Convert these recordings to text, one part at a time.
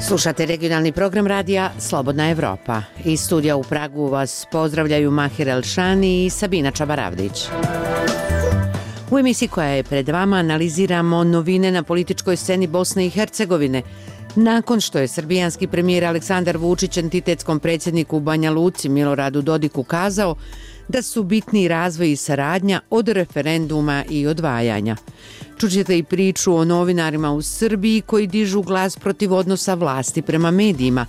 Slušate regionalni program radija Slobodna Evropa. Iz studija u Pragu vas pozdravljaju Mahir Elšani i Sabina Čabaravdić. U emisiji koja je pred vama analiziramo novine na političkoj sceni Bosne i Hercegovine. Nakon što je srbijanski premijer Aleksandar Vučić entitetskom predsjedniku u Banja Luci Miloradu Dodiku kazao da su bitni razvoj i saradnja od referenduma i odvajanja. Čućete i priču o novinarima u Srbiji koji dižu glas protiv odnosa vlasti prema medijima.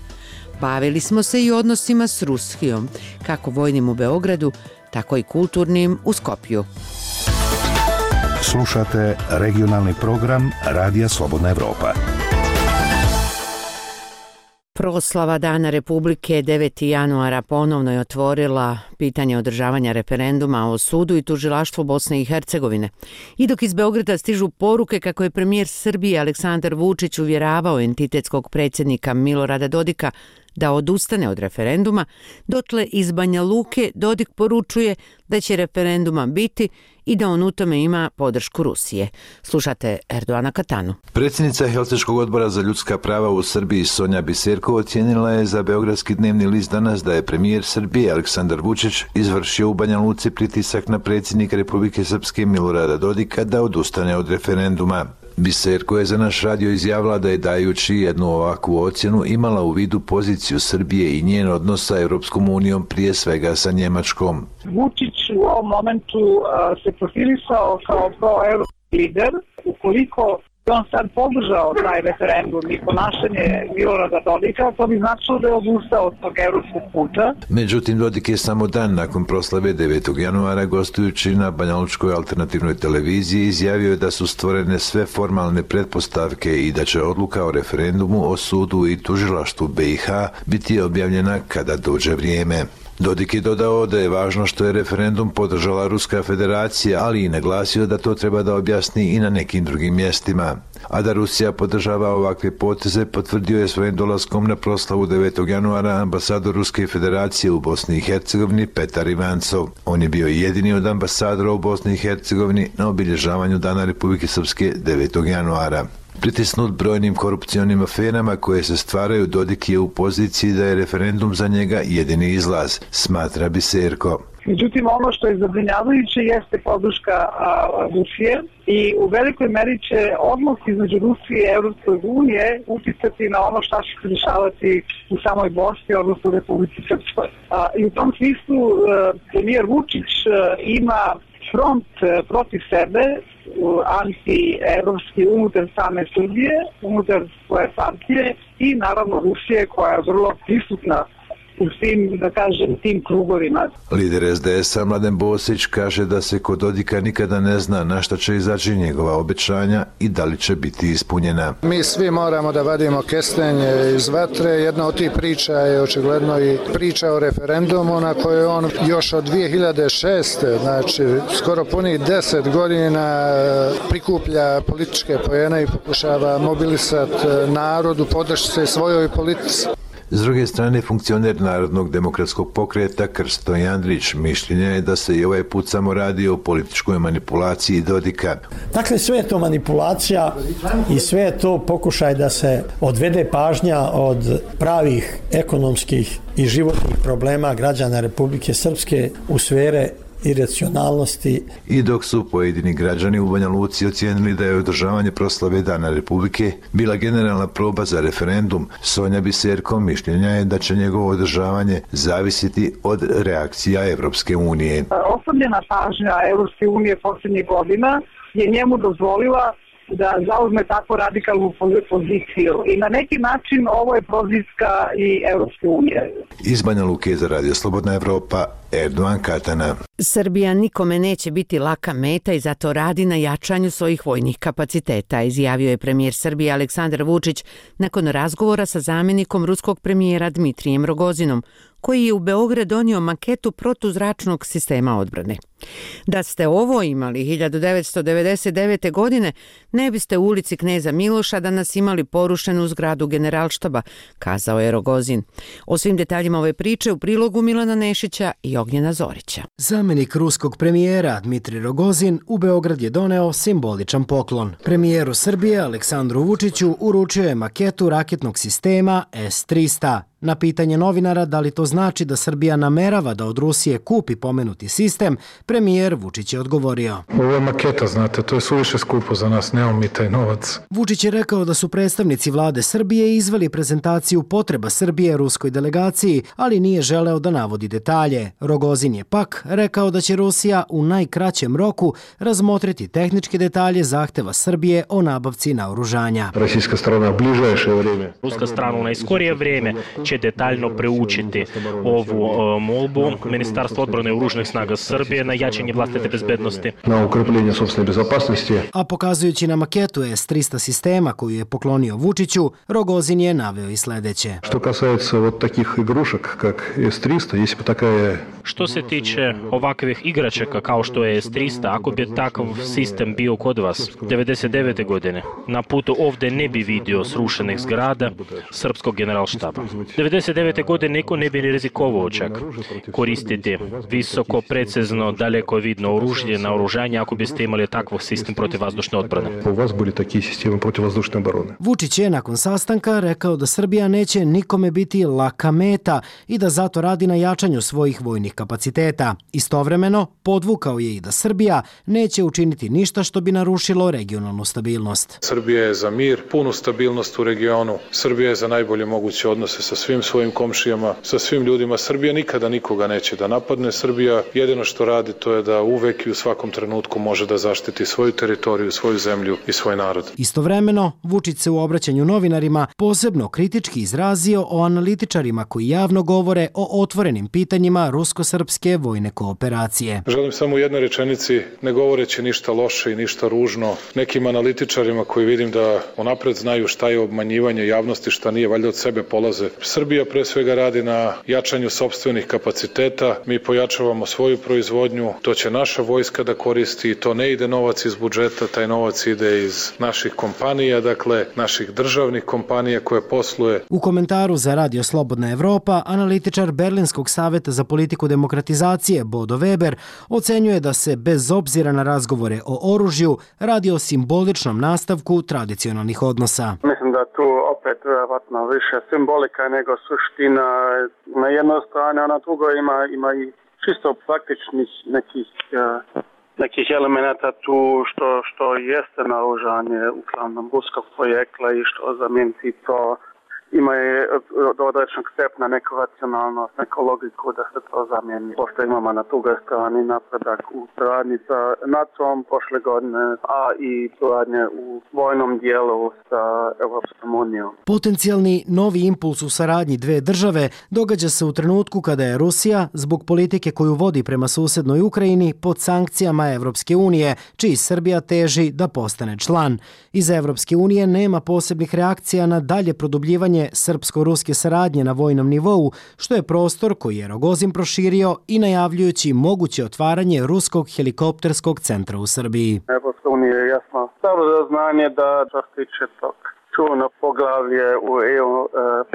Bavili smo se i odnosima s Rusijom, kako vojnim u Beogradu, tako i kulturnim u Skopju. Slušate regionalni program Radija Slobodna Evropa. Proslava Dana Republike 9. januara ponovno je otvorila pitanje održavanja referenduma o sudu i tužilaštvu Bosne i Hercegovine. I dok iz Beograda stižu poruke kako je premijer Srbije Aleksandar Vučić uvjeravao entitetskog predsjednika Milorada Dodika da odustane od referenduma, dotle iz Banja Luke Dodik poručuje da će referenduma biti i da on u tome ima podršku Rusije. Slušate Erdoana Katanu. Predsjednica Helsinškog odbora za ljudska prava u Srbiji Sonja Biserko ocijenila je za Beogradski dnevni list danas da je premijer Srbije Aleksandar Vučić izvršio u Banja Luci pritisak na predsjednika Republike Srpske Milorada Dodika da odustane od referenduma. Biserko je za naš radio izjavila da je dajući jednu ovakvu ocjenu imala u vidu poziciju Srbije i njen odnos sa Europskom unijom, prije svega sa Njemačkom. Vučić u ovom momentu se profilisao kao proevropski lider. Ukoliko on sad podržao taj referendum i ponašanje Milorada Dodika, to bi značilo da je odustao od tog evropskog puta. Međutim, Dodik je samo dan nakon proslave 9. januara gostujući na banjalučkoj alternativnoj televiziji izjavio da su stvorene sve formalne pretpostavke i da će odluka o referendumu o sudu i tužilaštvu BiH biti objavljena kada dođe vrijeme. Dodik je dodao da je važno što je referendum podržala Ruska federacija, ali i naglasio da to treba da objasni i na nekim drugim mjestima. A da Rusija podržava ovakve poteze potvrdio je svojim dolaskom na proslavu 9. januara ambasador Ruske federacije u Bosni i Hercegovini Petar Ivancov. On je bio jedini od ambasadora u Bosni i Hercegovini na obilježavanju Dana Republike Srpske 9. januara. Pritisnut brojnim korupcionim aferama koje se stvaraju, Dodik je u poziciji da je referendum za njega jedini izlaz, smatra Biserko. Međutim, ono što je zabrinjavajuće jeste podrška Rusije i u velikoj meri će odnos između Rusije i Europske unije uticati na ono šta će se dešavati u samoj Bosni, odnosno Republici Srpskoj. I u tom smislu premijer Vučić ima front protiv sebe, anti-evropski unutar same Srbije, unutar svoje partije i naravno Rusije koja je vrlo prisutna u svim, da kažem, tim krugovima. Lider SDS-a Mladen Bosić kaže da se kod Dodika nikada ne zna na šta će izaći njegova obećanja i da li će biti ispunjena. Mi svi moramo da vadimo kestenje iz vatre. Jedna od tih priča je očigledno i priča o referendumu na kojoj on još od 2006. znači skoro punih 10 godina prikuplja političke poene i pokušava mobilisati narod u podršci svojoj politici. S druge strane, funkcioner Narodnog demokratskog pokreta Krsto Jandrić mišljenja je da se i ovaj put samo radi o političkoj manipulaciji Dodika. Dakle, sve je to manipulacija i sve je to pokušaj da se odvede pažnja od pravih ekonomskih i životnih problema građana Republike Srpske u sfere iracionalnosti. I dok su pojedini građani u Banja Luci ocijenili da je održavanje proslave Dana Republike bila generalna proba za referendum, Sonja Biserko mišljenja je da će njegovo održavanje zavisiti od reakcija Evropske unije. Osobljena pažnja Evropske unije posljednjih godina je njemu dozvolila da zauzme tako radikalnu poziciju. I na neki način ovo je prozivka i Evropske unije. Iz Banja Luke za Radio Slobodna Evropa, Erdoan Katana. Srbija nikome neće biti laka meta i zato radi na jačanju svojih vojnih kapaciteta, izjavio je premijer Srbije Aleksandar Vučić nakon razgovora sa zamjenikom ruskog premijera Dmitrijem Rogozinom, koji je u Beograd donio maketu protuzračnog sistema odbrane. Da ste ovo imali 1999. godine, ne biste u ulici Kneza Miloša danas imali porušenu zgradu Generalštaba, kazao je Rogozin. O svim detaljima ove priče u prilogu Milana Nešića i Ognjena Zorića. Zamenik ruskog premijera Dmitrij Rogozin u Beograd je doneo simboličan poklon. Premijeru Srbije Aleksandru Vučiću uručio je maketu raketnog sistema S-300. Na pitanje novinara da li to znači da Srbija namerava da od Rusije kupi pomenuti sistem, premijer Vučić je odgovorio. Ovo je maketa, znate, to je suviše skupo za nas, nemamo mi taj novac. Vučić je rekao da su predstavnici vlade Srbije izveli prezentaciju potreba Srbije ruskoj delegaciji, ali nije želeo da navodi detalje. Rogozin je pak rekao da će Rusija u najkraćem roku razmotriti tehničke detalje zahteva Srbije o nabavci naoružanja. Rusijska strana bližajše vrijeme. Ruska strana u najskorije vrijeme će detaljno preučiti ovu molbu Ministarstva odbrane i oružanih snaga Srbije na jačanje vlastite bezbednosti. Na ukrepljenje sopstvene bezopasnosti. A pokazujući na maketu S-300 sistema koju je poklonio Vučiću, Rogozin je naveo i sledeće. Što kасается вот таких игрушек, как S-300, если бы такая... Što se tiče ovakvih igračaka kao što je S-300, ako bi takav sistem bio kod vas 99. godine, na putu ovde ne bi vidio srušenih zgrada srpskog generalštaba. 99. godine niko ne bi ni rizikovao čak koristiti visoko, precizno, daleko vidno oružje, naoružanje ako biste imali takav sistem protivvazdušne odbrane. U vas bili takvi sistemi protivvazdušne odbrane. Vučić je nakon sastanka rekao da Srbija neće nikome biti laka meta i da zato radi na jačanju svojih vojnih kapaciteta. Istovremeno, podvukao je i da Srbija neće učiniti ništa što bi narušilo regionalnu stabilnost. Srbija je za mir, punu stabilnost u regionu. Srbija je za najbolje moguće odnose sa svim svojim komšijama, sa svim ljudima. Srbija nikada nikoga neće da napadne. Srbija jedino što radi to je da uvek i u svakom trenutku može da zaštiti svoju teritoriju, svoju zemlju i svoj narod. Istovremeno, Vučić se u obraćanju novinarima posebno kritički izrazio o analitičarima koji javno govore o otvorenim pitanjima rusko-srpske vojne kooperacije. Želim samo u jednoj rečenici, ne govoreći ništa loše i ništa ružno, nekim analitičarima koji vidim da unapred znaju šta je obmanjivanje javnosti, šta nije, valjda od sebe polaze. Srbija pre svega radi na jačanju sopstvenih kapaciteta, mi pojačavamo svoju proizvodnju, to će naša vojska da koristi, to ne ide novac iz budžeta, taj novac ide iz naših kompanija, dakle naših državnih kompanija koje posluje. U komentaru za Radio Slobodna Evropa, analitičar Berlinskog saveta za politiku demokratizacije Bodo Weber ocenjuje da se bez obzira na razgovore o oružju radi o simboličnom nastavku tradicionalnih odnosa. Mislim da tu opet vjerovatno više simbolika nego suština. Na jednoj strani, a na drugoj ima i čisto praktičnih nekih elemenata tu što jeste naoružanje uglavnom ruskog porijekla i što zamijeniti to ima je do određenog stepna neku racionalnost, neku logiku da se to zamijeni. Pošto imamo na drugoj strani napredak u suradnji sa NATO-om prošle godine, a i suradnje u vojnom dijelu sa Europskom unijom. Potencijalni novi impuls u saradnji dve države događa se u trenutku kada je Rusija, zbog politike koju vodi prema susednoj Ukrajini, pod sankcijama Evropske unije, čiji Srbija teži da postane član. Iz Evropske unije nema posebnih reakcija na dalje produbljivanje srpsko-ruske saradnje na vojnom nivou, što je prostor koji je Rogozin proširio i najavljujući moguće otvaranje ruskog helikopterskog centra u Srbiji. Evropska unija je jasno stavila do znanja da što se tiče tog čuveno poglavlje u EU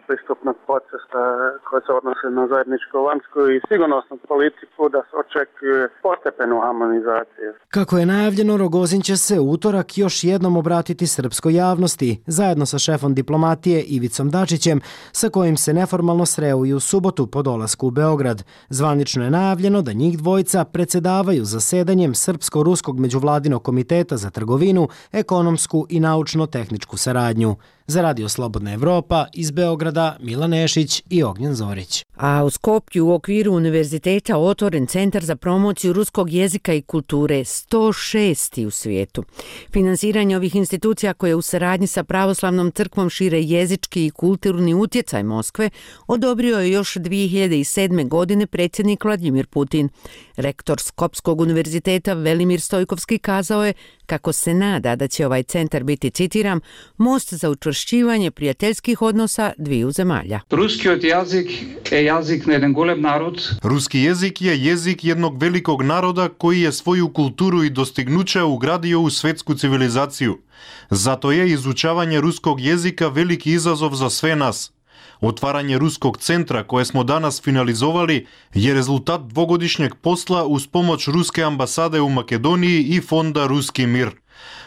pristupnog procesa koje se odnose na zajedničku vanjsku i sigurnosnu politiku da se očekuje postepenu harmonizaciju. Kako je najavljeno, Rogozin će se u utorak još jednom obratiti srpskoj javnosti, zajedno sa šefom diplomatije Ivicom Dačićem, sa kojim se neformalno sreo i u subotu po dolasku u Beograd. Zvanično je najavljeno da njih dvojica predsedavaju zasedanjem Srpsko-ruskog međuvladinog komiteta za trgovinu, ekonomsku i naučno-tehničku saradnju. Za Radio Slobodna Evropa iz Beograda Milan Nešić i Ognjen Zorić. A u Skopju u okviru univerziteta otvoren centar za promociju ruskog jezika i kulture, 106. u svijetu. Finansiranje ovih institucija koje u saradnji sa pravoslavnom crkvom šire jezički i kulturni utjecaj Moskve odobrio je još 2007. godine predsjednik Vladimir Putin. Rektor Skopskog univerziteta Velimir Stojkovski kazao je kako se nada da će ovaj centar biti, citiram, most za učvršćivanje prijateljskih odnosa dviju zemalja. Ruski jezik je jezik na jedan golem narod. Ruski jezik je jezik jednog velikog naroda koji je svoju kulturu i dostignuća ugradio u svetsku civilizaciju. Zato je izučavanje ruskog jezika veliki izazov za sve nas. Otvaranje Ruskog centra, koje smo danas finalizovali, je rezultat dvogodišnjeg posla uz pomoć Ruske ambasade u Makedoniji i Fonda Ruski mir.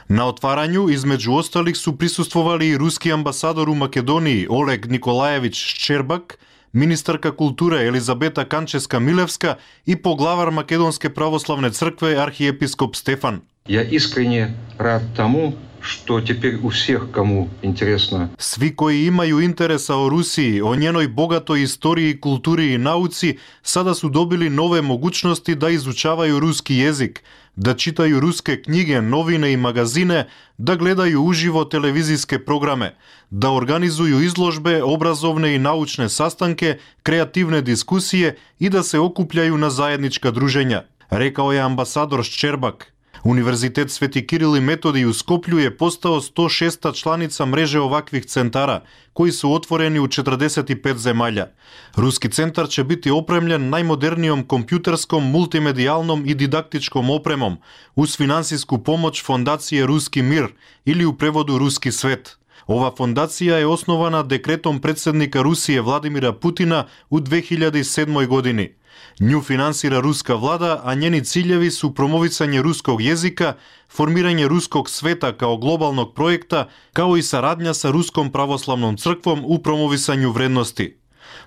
Na otvaranju, između ostalih, su prisustvovali i ruski ambasador u Makedoniji Oleg Nikolajević Ščerbak, ministarka kulture Elizabeta Kančeska-Milevska i poglavar Makedonske pravoslavne crkve arhijepiskop Stefan. Я искренне рад тому, što теперь у всех, кому интересно. Svi koji imaju interesa o Rusiji, o njenoj bogatoj istoriji, kulturi i nauci, sada su dobili nove mogućnosti da izučavaju ruski jezik, da čitaju ruske knjige, novine i magazine, da gledaju uživo televizijske programe, da organizuju izložbe, obrazovne i naučne sastanke, kreativne diskusije i da se okupljaju na zajednička druženja, rekao je ambasador Ščerbak. Univerzitet Sveti Kiril i Metodij u Skoplju je postao 106. članica mreže ovakvih centara, koji su otvoreni u 45 zemalja. Ruski centar će biti opremljen najmodernijom kompjuterskom, multimedijalnom i didaktičkom opremom, uz finansijsku pomoć Fondacije Ruski mir ili u prevodu Ruski svet. Ova fondacija je osnovana dekretom predsjednika Rusije Vladimira Putina u 2007. godini. Nju finansira ruska vlada, a njeni ciljevi su promovisanje ruskog jezika, formiranje ruskog sveta kao globalnog projekta, kao i saradnja sa Ruskom pravoslavnom crkvom u promovisanju vrednosti.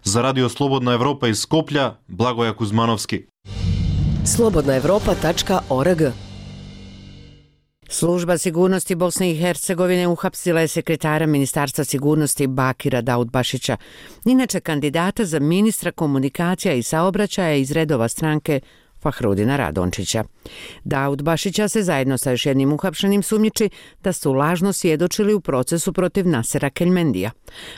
Za Radio Slobodna Evropa iz Skoplja, Blagoja Kuzmanovski. slobodnaevropa.org. Služba sigurnosti Bosne i Hercegovine uhapsila je sekretara Ministarstva sigurnosti Bakira Daudbašića, inače kandidata za ministra komunikacija i saobraćaja iz redova stranke Fahrudina Radončića. Daudbašića se zajedno sa još jednim uhapšenim sumnjiči da su lažno svjedočili u procesu protiv Nasera Keljmendija.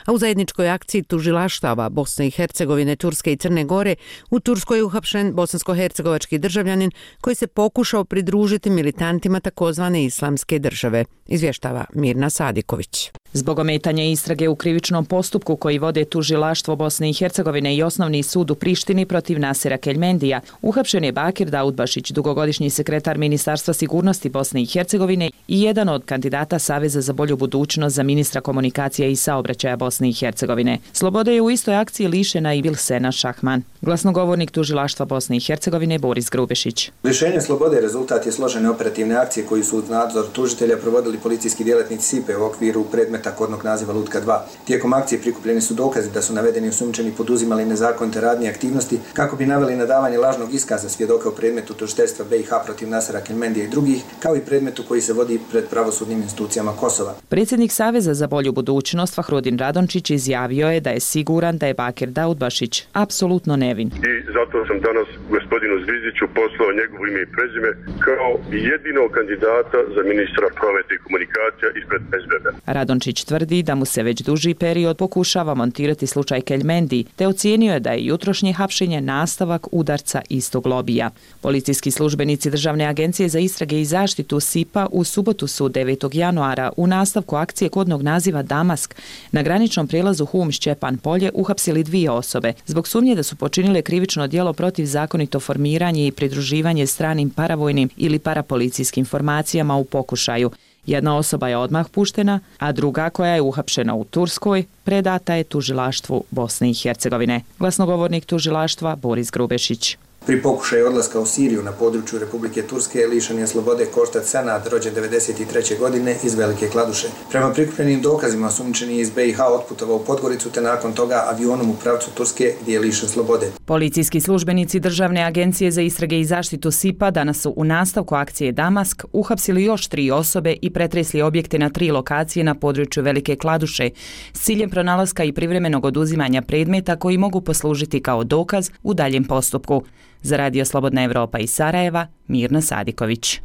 A u zajedničkoj akciji tužilaštava Bosne i Hercegovine, Turske i Crne Gore u Turskoj je uhapšen bosansko-hercegovački državljanin koji se pokušao pridružiti militantima takozvane islamske države, izvještava Mirna Sadiković. Zbog ometanja istrage u krivičnom postupku koji vode tužilaštvo Bosne i Hercegovine i Osnovni sud u Prištini protiv Nasera Keljmendija, uhapšen je Bakir Daudbašić, dugogodišnji sekretar Ministarstva sigurnosti Bosne i Hercegovine i jedan od kandidata Saveza za bolju budućnost za ministra komunikacija i saobraćaja Bosne i Hercegovine. Slobode je u istoj akciji lišena i Bilsena Šahman. Glasnogovornik tužilaštva Bosne i Hercegovine Boris Grubešić. Lišenje slobode rezultat je složene operativne akcije koju su uz nadzor tužitelja provodili policijski djelatnici SIPE u okviru predmeta kodnog naziva Lutka 2. Tijekom akcije prikupljeni su dokazi da su navedeni osumnjičeni poduzimali nezakonite radnje i aktivnosti kako bi naveli na davanje lažnog iskaza svjedoka u predmetu tužiteljstva BiH protiv Nasera Keljmendija i drugih, kao i predmetu koji se vodi pred pravosudnim institucijama Kosova. Predsjednik Saveza za bolju budućnost Fahrudin Radončić izjavio je da je siguran da je Bakir Daudbašić apsolutno nevin. I zato sam danas gospodinu Zvizdiću poslao njegovo ime i prezime kao jedinog kandidata za ministra prometa i komunikacija ispred SBB. Radončić tvrdi da mu se već duži period pokušava montirati slučaj Keljmendi, te ocijenio je da je jutrošnje hapšenje nastavak udarca istog lobija. Policijski službenici Državne agencije za istrage i zaštitu SIPA u subotu su 9. januara u nastavku akcije kodnog naziva Damask na graničnom prijelazu Hum-Šćepan polje uhapsili 2 osobe zbog sumnje da su počinile krivično djelo protiv zakonito formiranje i pridruživanje stranim paravojnim ili parapolicijskim formacijama u pokušaju. Jedna osoba je odmah puštena, a druga, koja je uhapšena u Turskoj, predata je tužilaštvu Bosne i Hercegovine. Glasnogovornik tužilaštva Boris Grubešić. Pri pokušaju odlaska u Siriju na području Republike Turske lišen je slobode Koštat Senad, rođen 1993. godine iz Velike Kladuše. Prema prikupljenim dokazima osumnjičeni iz BiH otputovao u Podgoricu te nakon toga avionom u pravcu Turske gdje je lišen slobode. Policijski službenici Državne agencije za istrage i zaštitu SIPA danas su u nastavku akcije Damask uhapsili još 3 osobe i pretresli objekte na 3 lokacije na području Velike Kladuše s ciljem pronalaska i privremenog oduzimanja predmeta koji mogu poslužiti kao dokaz u daljem postupku. Za Radio Slobodna Evropa iz Sarajeva, Mirna Sadiković.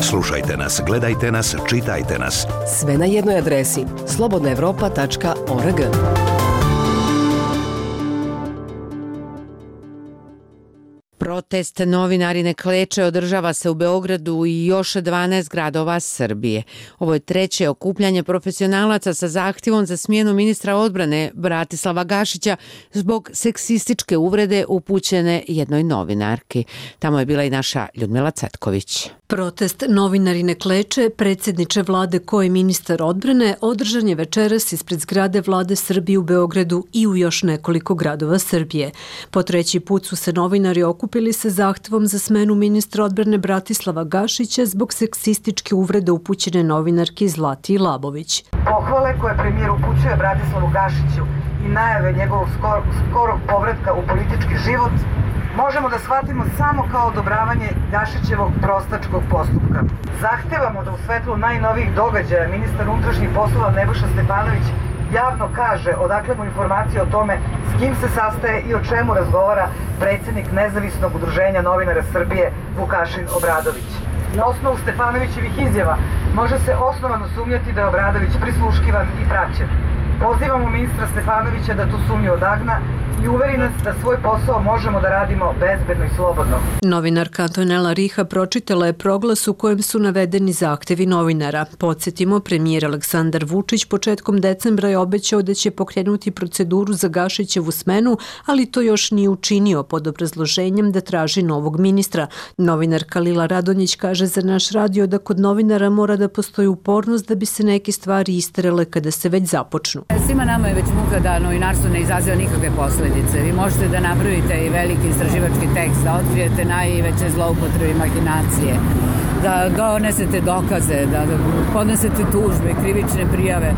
Slušajte nas, gledajte nas, čitajte nas. Sve na jednoj adresi slobodnaevropa.org. Protest Novinari ne kleče održava se u Beogradu i još 12 gradova Srbije. Ovo je treće okupljanje profesionalaca sa zahtjevom za smjenu ministra odbrane Bratislava Gašića zbog seksističke uvrede upućene jednoj novinarki. Tamo je bila i naša Ljudmila Cvetković. Protest Novinari ne kleče, predsjedniče vlade ko je ministar odbrane, održan je večeras ispred zgrade vlade Srbije u Beogradu i u još nekoliko gradova Srbije. Po treći put su se novinari okupili sa zahtjevom za smenu ministra odbrane Bratislava Gašića zbog seksističke uvrede upućene novinarki Zlati Labović. Pohvale koje premijer upućuje Bratislavu Gašiću i najave njegovog skorog povratka u politički život možemo da shvatimo samo kao odobravanje Gašićevog prostačkog postupka. Zahtevamo da u svetlu najnovijih događaja ministar unutrašnjih poslova Nebojša Stefanović javno kaže odakle mu informacije o tome s kim se sastaje i o čemu razgovara predsjednik Nezavisnog udruženja novinara Srbije Vukašin Obradović. Na osnovu Stefanovićevih izjava može se osnovano sumnjati da je Obradović prisluškivan i praćen. Pozivamo ministra Stefanovića da tu sumnju odagna i uveri nas da svoj posao možemo da radimo bezbedno i slobodno. Novinarka Antonela Riha pročitala je proglas u kojem su navedeni zahtevi novinara. Podsjetimo, premijer Aleksandar Vučić početkom decembra je obećao da će pokrenuti proceduru za Gašićevu smenu, ali to još nije učinio pod obrazloženjem da traži novog ministra. Novinarka Lila Radonjić kaže za naš radio da kod novinara mora da postoji upornost da bi se neke stvari isterale kada se već započnu. Svima nama je već muka da novinarstvo ne izaziva nikakve posledice. Vi možete da napravite i veliki istraživački tekst, da otkrijete najveće zloupotrebe i mahinacije, da donesete dokaze, da podnesete tužbe, krivične prijave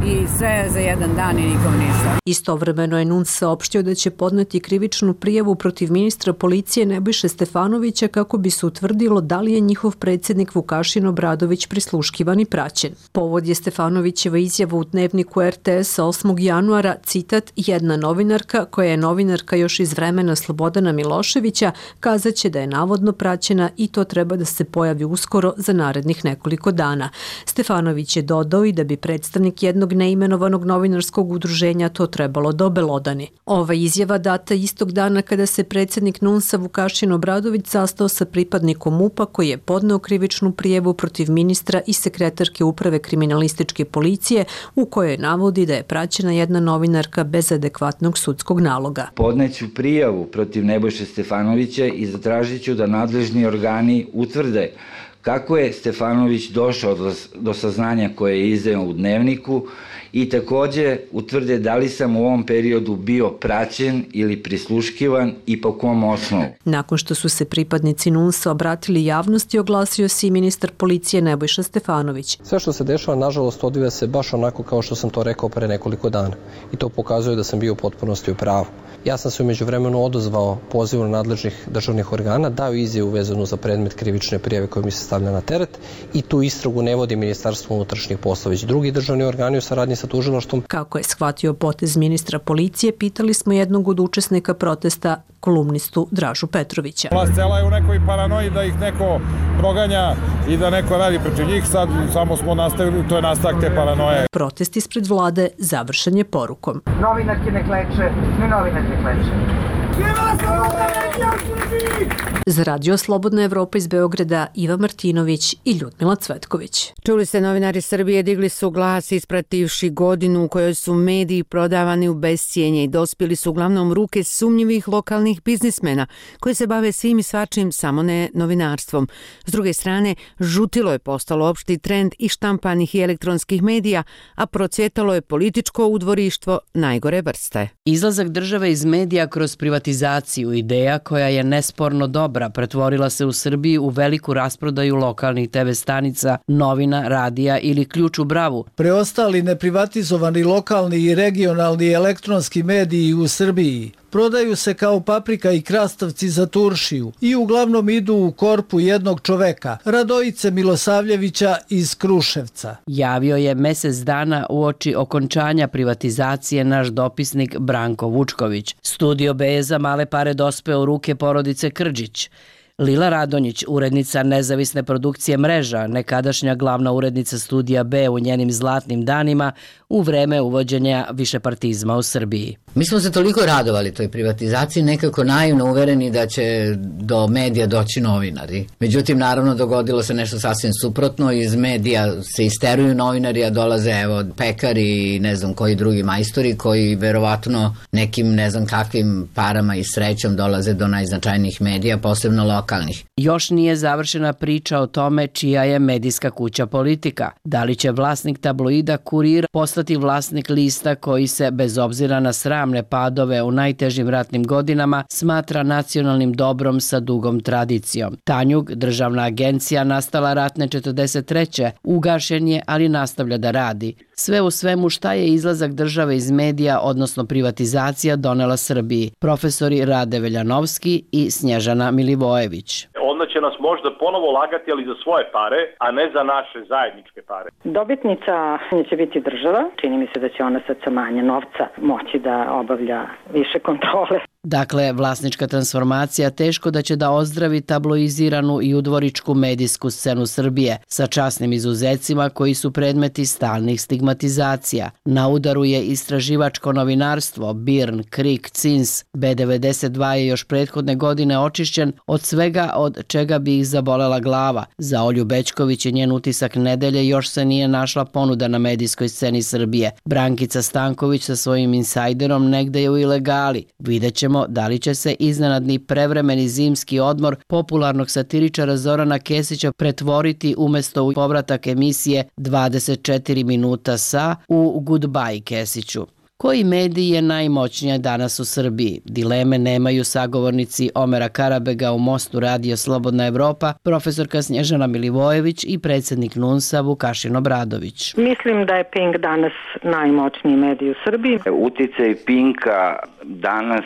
i sve za jedan dan i nikom ništa. Istovremeno je NUNS saopštio da će podneti krivičnu prijavu protiv ministra policije Nebojše Stefanovića kako bi se utvrdilo da li je njihov predsjednik Vukašin Obradović prisluškivan i praćen. Povod je Stefanovićeva izjava u dnevniku RTS 8. januara, citat, jedna novinarka koja je novinarka još iz vremena Slobodana Miloševića kazaće da je navodno praćena i to treba da se pojavi uskoro za narednih nekoliko dana. Stefanović je dodao i da bi predstavnik jednog neimenovanog novinarskog udruženja to trebalo da obelodani. Ova izjava data istog dana kada se predsjednik NUNS-a Vukašin Obradović sastao sa pripadnikom MUP-a koji je podneo krivičnu prijavu protiv ministra i sekretarke uprave kriminalističke policije u kojoj navodi da je praćena jedna novinarka bez adekvatnog sudskog naloga. Podneću prijavu protiv Nebojše Stefanovića i zatražit ću da nadležni organi utvrde kako je Stefanović došao do saznanja koje je izneo u dnevniku i također utvrde da li sam u ovom periodu bio praćen ili prisluškivan i po kom osnovu. Nakon što su se pripadnici NUNS-a obratili javnosti, oglasio se i ministar policije Nebojša Stefanović. Sve što se dešava, nažalost, odvija se baš onako kao što sam to rekao pre nekoliko dana. I to pokazuje da sam bio u potpunosti u pravu. Ja sam se umeđu vremenu odozvao pozivu nadležnih državnih organa, dao izjavu vezanu za predmet krivične prijave koje mi se stavlja na teret i tu istragu ne vodi Ministarstvo unutrašnjih poslova, već drugi državni organi u saradnji sa tužilaštvom. Kako je shvatio potez ministra policije, pitali smo jednog od učesnika protesta, kolumnistu Dražu Petrovića. Vlast cela je u nekoj paranoji da ih neko proganja i da neko radi protiv njih, sad samo smo nastavili, to je nastavak te paranoje. Protest ispred vlade završen je porukom. Novinarke ne kleče, ni novinar ne kleče. Za radio Slobodna Evropa iz Beograda, Iva Martinović i Ljudmila Cvetković. Čuli ste, novinari Srbije digli su glas isprativši godinu u kojoj su mediji prodavani u bescijenje i dospjeli su uglavnom ruke sumnjivih lokalnih biznismena koji se bave svim i svačim, samo ne novinarstvom. S druge strane, žutilo je postalo opšti trend i štampanih i elektronskih medija, a procvjetalo je političko udvorištvo najgore vrste. Izlazak države iz medija kroz privatizaciju, ideja koja je nesporno dobra, pretvorila se u Srbiji u veliku rasprodaju lokalnih TV stanica, novina, radija ili ključ u bravu. Preostali neprivatizovani lokalni i regionalni elektronski mediji u Srbiji prodaju se kao paprika i krastavci za turšiju i uglavnom idu u korpu jednog čoveka, Radojice Milosavljevića iz Kruševca. Javio je mjesec dana uoči okončanja privatizacije naš dopisnik Branko Vučković. Studio B za male pare dospeo u ruke porodice Krđić. Lila Radonjić, urednica nezavisne produkcije Mreža, nekadašnja glavna urednica Studija B u njenim zlatnim danima u vreme uvođenja višepartizma u Srbiji. Mi smo se toliko radovali toj privatizaciji, nekako naivno uvereni da će do medija doći novinari. Međutim, naravno, dogodilo se nešto sasvim suprotno. Iz medija se isteruju novinari, a dolaze pekari i ne znam koji drugi majstori koji verovatno nekim ne znam kakvim parama i srećom dolaze do najznačajnijih medija, posebno lokalnih. Još nije završena priča o tome čija je medijska kuća Politika. Da li će vlasnik tabloida Kurir postati vlasnik lista koji se, bez obzira na sramne padove u najtežim ratnim godinama, smatra nacionalnim dobrom sa dugom tradicijom. Tanjug, državna agencija nastala ratne 43. ugašen je, ali nastavlja da radi. Sve u svemu, šta je izlazak države iz medija, odnosno privatizacija, donela Srbiji? Profesori Rade Veljanovski i Snježana Milivojević. Onda će nas možda ponovo lagati, ali za svoje pare, a ne za naše zajedničke pare. Dobitnica će biti država. Čini mi se da će ona sad sa manje novca moći da obavlja više kontrole. Dakle, vlasnička transformacija teško da će da ozdravi tabloiziranu i udvoričku medijsku scenu Srbije, sa časnim izuzecima koji su predmeti stalnih stigmatizacija. Na udaru je istraživačko novinarstvo, BIRN, KRIK, CINS. B92 je još prethodne godine očišćen od svega od čega bi ih zabolela glava. Za Olju Bećković i njen utisak nedelje još se nije našla ponuda na medijskoj sceni Srbije. Brankica Stanković sa svojim insajderom negde je u ilegali. Vidjet ćemo da li će se iznenadni prevremeni zimski odmor popularnog satiričara Zorana Kesića pretvoriti umesto u povratak emisije 24 minuta sa u Goodbye Kesiću. Koji medij je najmoćnija danas u Srbiji? Dileme nemaju sagovornici Omera Karabega u Mostu Radio Slobodna Evropa, profesorka Snježana Milivojević i predsjednik NUNS-a Vukašin Obradović. Mislim da je Pink danas najmoćniji medij u Srbiji. Uticaj Pinka danas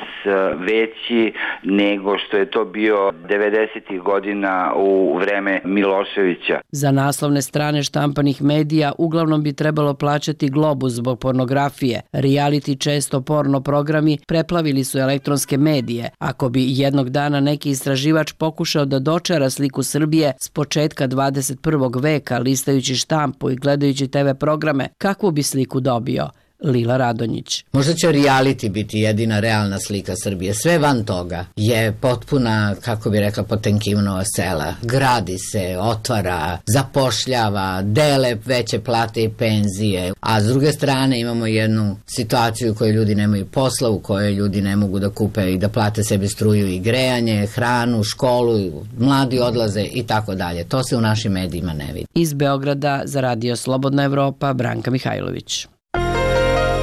veći nego što je to bio 90. godina u vreme Miloševića. Za naslovne strane štampanih medija uglavnom bi trebalo plaćati Globus zbog pornografije. Reality, često porno programi, preplavili su elektronske medije. Ako bi jednog dana neki istraživač pokušao da dočara sliku Srbije s početka 21. veka listajući štampu i gledajući TV programe, kakvu bi sliku dobio? Lila Radonjić. Možda će reality biti jedina realna slika Srbije. Sve van toga je potpuna, kako bi rekla, Potemkinova sela. Gradi se, otvara, zapošljava, dele veće plate i penzije. A s druge strane imamo jednu situaciju u kojoj ljudi nemaju posla, u kojoj ljudi ne mogu da kupe i da plate sebi struju i grejanje, hranu, školu, mladi odlaze i tako dalje. To se u našim medijima ne vidi. Iz Beograda za Radio Slobodna Evropa, Branka Mihajlović.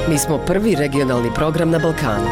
Mi smo prvi regionalni program na Balkanu.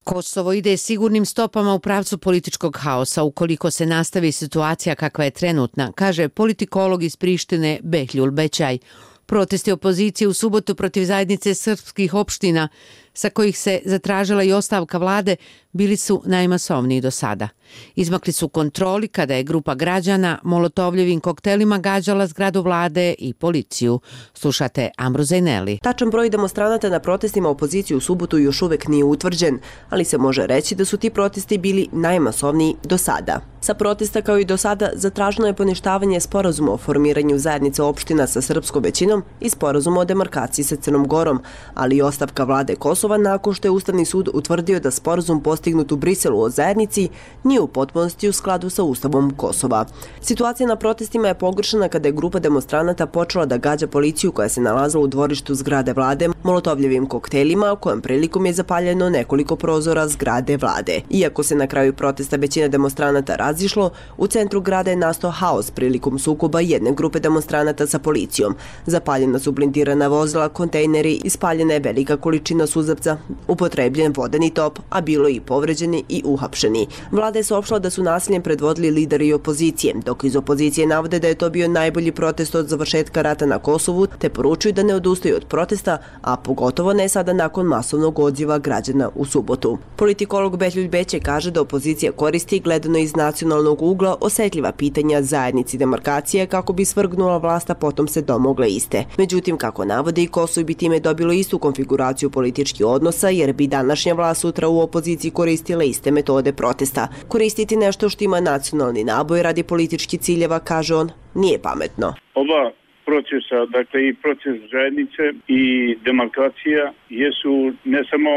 Kosovo ide sigurnim stopama u pravcu političkog haosa ukoliko se nastavi situacija kakva je trenutna, kaže politikolog iz Prištine Behljul Bećaj. Protesti opozicije u subotu protiv zajednice srpskih opština, sa kojih se zatražila i ostavka vlade, bili su najmasovniji do sada. Izmakli su kontroli kada je grupa građana molotovljevim koktelima gađala zgradu vlade i policiju. Slušate Ambru Zajneli. Tačan broj demonstranata na protestima opozicije u subotu još uvek nije utvrđen, ali se može reći da su ti protesti bili najmasovniji do sada. Sa protesta kao i do sada zatraženo je poništavanje sporazuma o formiranju zajednice opština sa srpskom većinom i sporazuma o demarkaciji sa Crnom Gorom, ali i ostavka vlade Kosova nakon što je Ustavni sud utvrdio da sporazum postignut u Briselu o zajednici nije u potpunosti u skladu sa Ustavom Kosova. Situacija na protestima je pogoršana kada je grupa demonstranata počela da gađa policiju koja se nalazila u dvorištu zgrade vlade molotovljevim koktelima, u kojem prilikom je zapaljeno nekoliko prozora zgrade vlade. Iako se na kraju protesta većina demonstranata razišlo, u centru grada je nastao haos prilikom sukoba jedne grupe demonstranata sa policijom. Zapaljena su blindirana vozila, kontejneri, ispaljena je velika količina suzavca, upotrebljen vodeni top, a bilo i povređeni i uhapšeni. Vlada je saopštila da su nasiljem predvodili lideri opozicije, dok iz opozicije navode da je to bio najbolji protest od završetka rata na Kosovu, te poručuju da ne odustaju od protesta, a pogotovo ne sada nakon masovnog odziva građana u subotu. Politikolog Behljul Bećaj kaže da opozicija koristi, gledano iz nacionalnog ugla, osetljiva pitanja zajednici demarkacije kako bi svrgnula vlast, a potom se domogla iste. Međutim, kako navode, i Kosovo bi time dobilo istu konfiguraciju političkih vrsti odnosa, jer bi današnja vlast sutra u opoziciji koristila iste metode protesta. Koristiti nešto što ima nacionalni naboj radi političkih ciljeva, kaže on, nije pametno. Oba procesa, dakle i proces zajednice i demarkacija jesu ne samo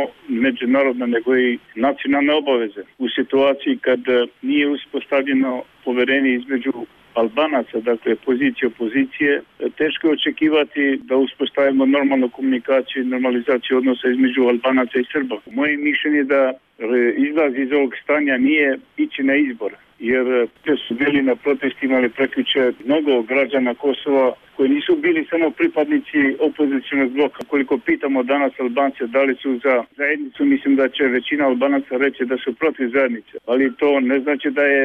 međunarodne nego i nacionalne obaveze. U situaciji kad nije uspostavljeno poverenje između Albanaca, dakle pozicije opozicije, teško je očekivati da uspostavimo normalnu komunikaciju i normalizaciju odnosa između Albanaca i Srba. Moje mišljenje je da izlaz iz ovog stanja nije ići na izbor, jer te su bili na protestima, ali prekjuče mnogo građana Kosova koji nisu bili samo pripadnici opozicionog bloka. Koliko pitamo danas Albance da li su za zajednicu, mislim da će većina Albanaca reći da su protiv zajednice, ali to ne znači da je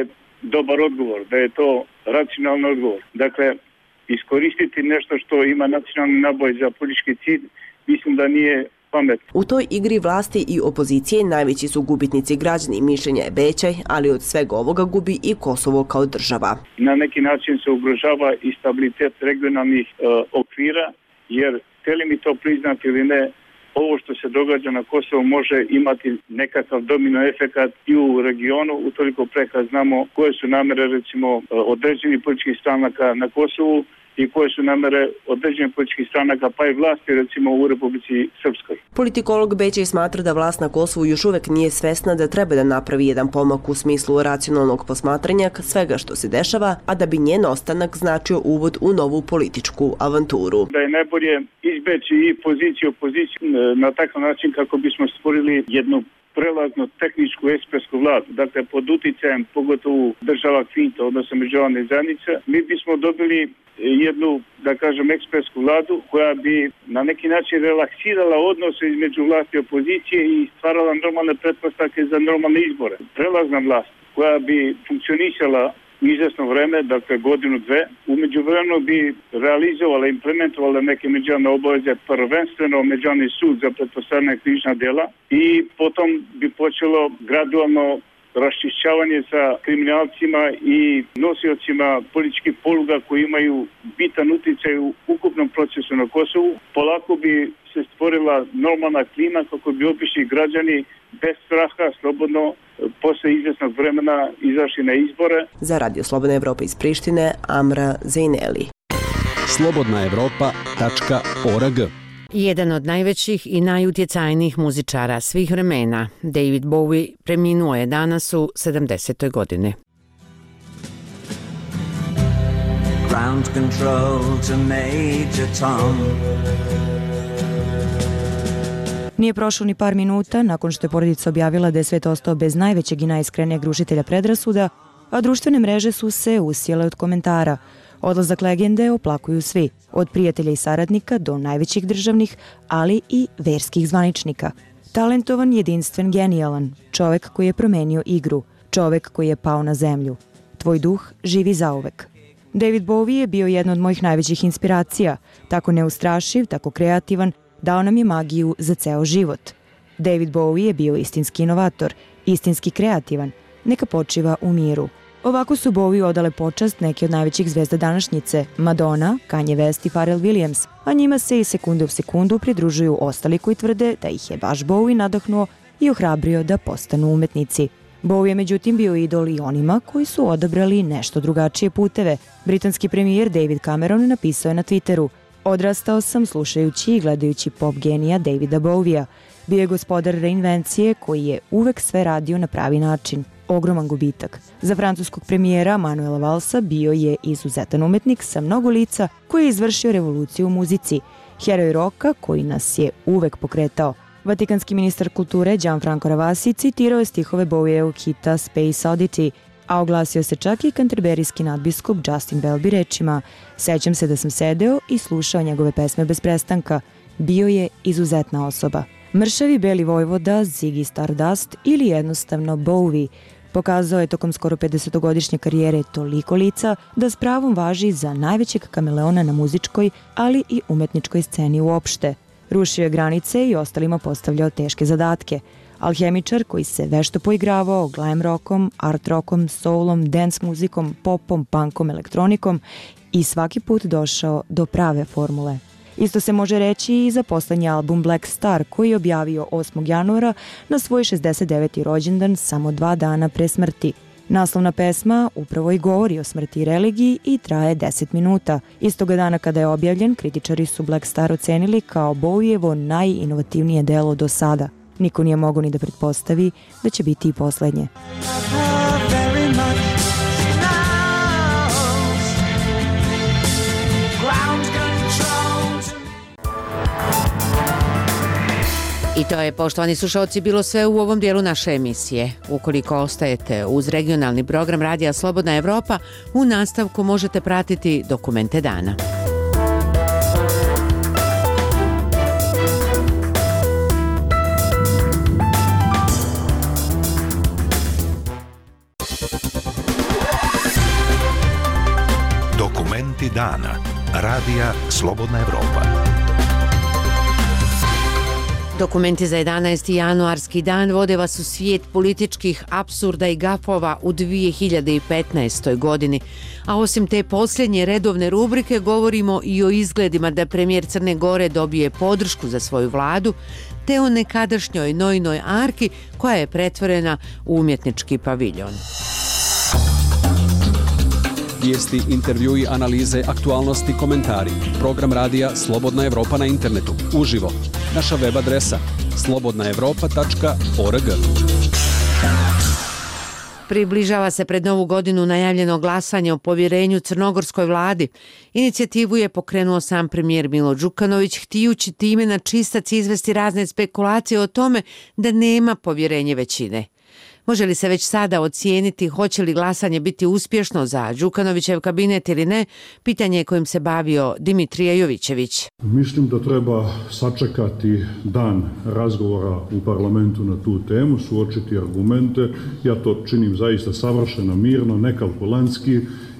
dobar odgovor, da je to racionalni odgovor. Dakle, iskoristiti nešto što ima nacionalni naboj za politički cilj, mislim da nije pametno. U toj igri vlasti i opozicije najveći su gubitnici građani, mišljenja je Bećaj, ali od svega ovoga gubi i Kosovo kao država. Na neki način se ugrožava i stabilitet regionalnih okvira, jer htjeli mi to priznati ili ne, ovo što se događa na Kosovu može imati nekakav domino efekat i u regionu, utoliko preka znamo koje su namere recimo određenih političkih stranaka na Kosovu i koje su namere određenih političkih stranaka pa i vlasti recimo u Republici Srpskoj. Politikolog Bećaj smatra da vlast na Kosovu još uvek nije svesna da treba da napravi jedan pomak u smislu racionalnog posmatranja svega što se dešava, a da bi njen ostanak značio uvod u novu političku avanturu. Da je najbolje izbeći i opoziciju na takav način kako bismo stvorili jednu prelazno tehničku ekspresku vladu, dakle pod uticajem pogotovo država Kvinta, odnosno međunarodne zajednice, mi bismo dobili jednu, da kažem, ekspresku vladu koja bi na neki način relaksirala odnose između vlasti i opozicije i stvarala normalne pretpostavke za normalne izbore. Prelazna vlast koja bi funkcionisala u izvesno vreme, dakle godinu, dve, u međuvremenu bi realizovala, implementovala neke međunarodne obaveze, prvenstveno Međunarodni sud za pretpostavljena krivična dela i potom bi počelo gradualno raščišćavanje sa kriminalcima i nosiocima političkih poluga koji imaju bitan uticaj u ukupnom procesu na Kosovu. Polako bi se stvorila normalna klima kako bi obični građani bez straha, slobodno, posle izvesnog vremena izašli na izbore. Za Radio Slobodna Evropa iz Prištine, Amra Zejneli. slobodnaevropa.org. Jedan od najvećih i najutjecajnijih muzičara svih vremena, David Bowie, preminuo je danas u 70. godini. Ground control to Major Tom. Nije prošlo ni par minuta nakon što je porodica objavila da je svet ostao bez najvećeg i najiskrenijeg rušitelja predrasuda, a društvene mreže su se usijale od komentara. Odlazak legende oplakuju svi, od prijatelja i saradnika do najvećih državnih, ali i verskih zvaničnika. Talentovan, jedinstven, genijalan, čovek koji je promenio igru, čovek koji je pao na zemlju. Tvoj duh živi zauvek. David Bowie je bio jedna od mojih najvećih inspiracija, tako neustrašiv, tako kreativan, dao nam je magiju za ceo život. David Bowie je bio istinski inovator, istinski kreativan, neka počiva u miru. Ovako su Bowie odale počast neke od najvećih zvezda današnjice, Madonna, Kanye West i Pharrell Williams, a njima se i sekunde u sekundu pridružuju ostali koji tvrde da ih je baš Bowie nadahnuo i ohrabrio da postanu umetnici. Bowie je međutim bio idol i onima koji su odabrali nešto drugačije puteve. Britanski premijer David Cameron napisao je na Twitteru: "Odrastao sam slušajući i gledajući pop genija Davida Bowiea. Bio je gospodar reinvencije koji je uvek sve radio na pravi način. Ogroman gubitak. Za francuskog premijera Manuela Valsa bio je izuzetan umetnik sa mnogo lica koji je izvršio revoluciju u muzici, heroj roka koji nas je uvek pokretao." Vatikanski ministar kulture Gianfranco Ravasi citirao je stihove Bowieovog hita Space Oddity, a oglasio se čak i kanterberijski nadbiskup Justin Welby rečima: "Sećam se da sam sedeo i slušao njegove pesme bez prestanka. Bio je izuzetna osoba." Mršavi beli vojvoda, Ziggy Stardust ili jednostavno Bowie pokazao je tokom skoro 50-godišnje karijere toliko lica da s pravom važi za najvećeg kameleona na muzičkoj, ali i umetničkoj sceni uopšte. Rušio je granice i ostalima postavljao teške zadatke. Alhemičar koji se vešto poigravao glam rockom, art rockom, soulom, dance muzikom, popom, punkom, elektronikom i svaki put došao do prave formule. Isto se može reći i za poslednji album Black Star koji je objavio 8. januara na svoj 69. rođendan samo 2 dana pre smrti. Naslovna pesma upravo i govori o smrti i religiji i traje 10 minuta. Istoga dana kada je objavljen, kritičari su Black Star ocenili kao Bowievo najinovativnije delo do sada. Niko nije mogao ni da pretpostavi da će biti i poslednje. I to je, poštovani slušalci, bilo sve u ovom dijelu naše emisije. Ukoliko ostajete uz regionalni program Radija Slobodna Evropa, u nastavku možete pratiti dokumente dana. Dokumenti dana. Radija Slobodna Evropa. Dokumenti za 11. januarski dan vode vas u svijet političkih apsurda i gafova u 2015. godini. A osim te posljednje redovne rubrike govorimo i o izgledima da premijer Crne Gore dobije podršku za svoju vladu, te o nekadašnjoj Noinoj arki koja je pretvorena u umjetnički paviljon. Vijesti, intervjui, analize, aktualnosti, komentari. Program radija Slobodna Evropa na internetu. Uživo. Naša web adresa slobodnaevropa.org. Približava se pred Novu godinu najavljeno glasanje o povjerenju crnogorskoj vladi. Inicijativu je pokrenuo sam premijer Milo Đukanović, htijući time na čistac izvesti razne spekulacije o tome da nema povjerenje većine. Može li se već sada ocijeniti hoće li glasanje biti uspješno za Đukanovićev kabinet ili ne? Pitanje je kojim se bavio Dimitrije Jovićević. Mislim da treba sačekati dan razgovora u parlamentu na tu temu, suočiti argumente. Ja to činim zaista savršeno, mirno, nekalkulantski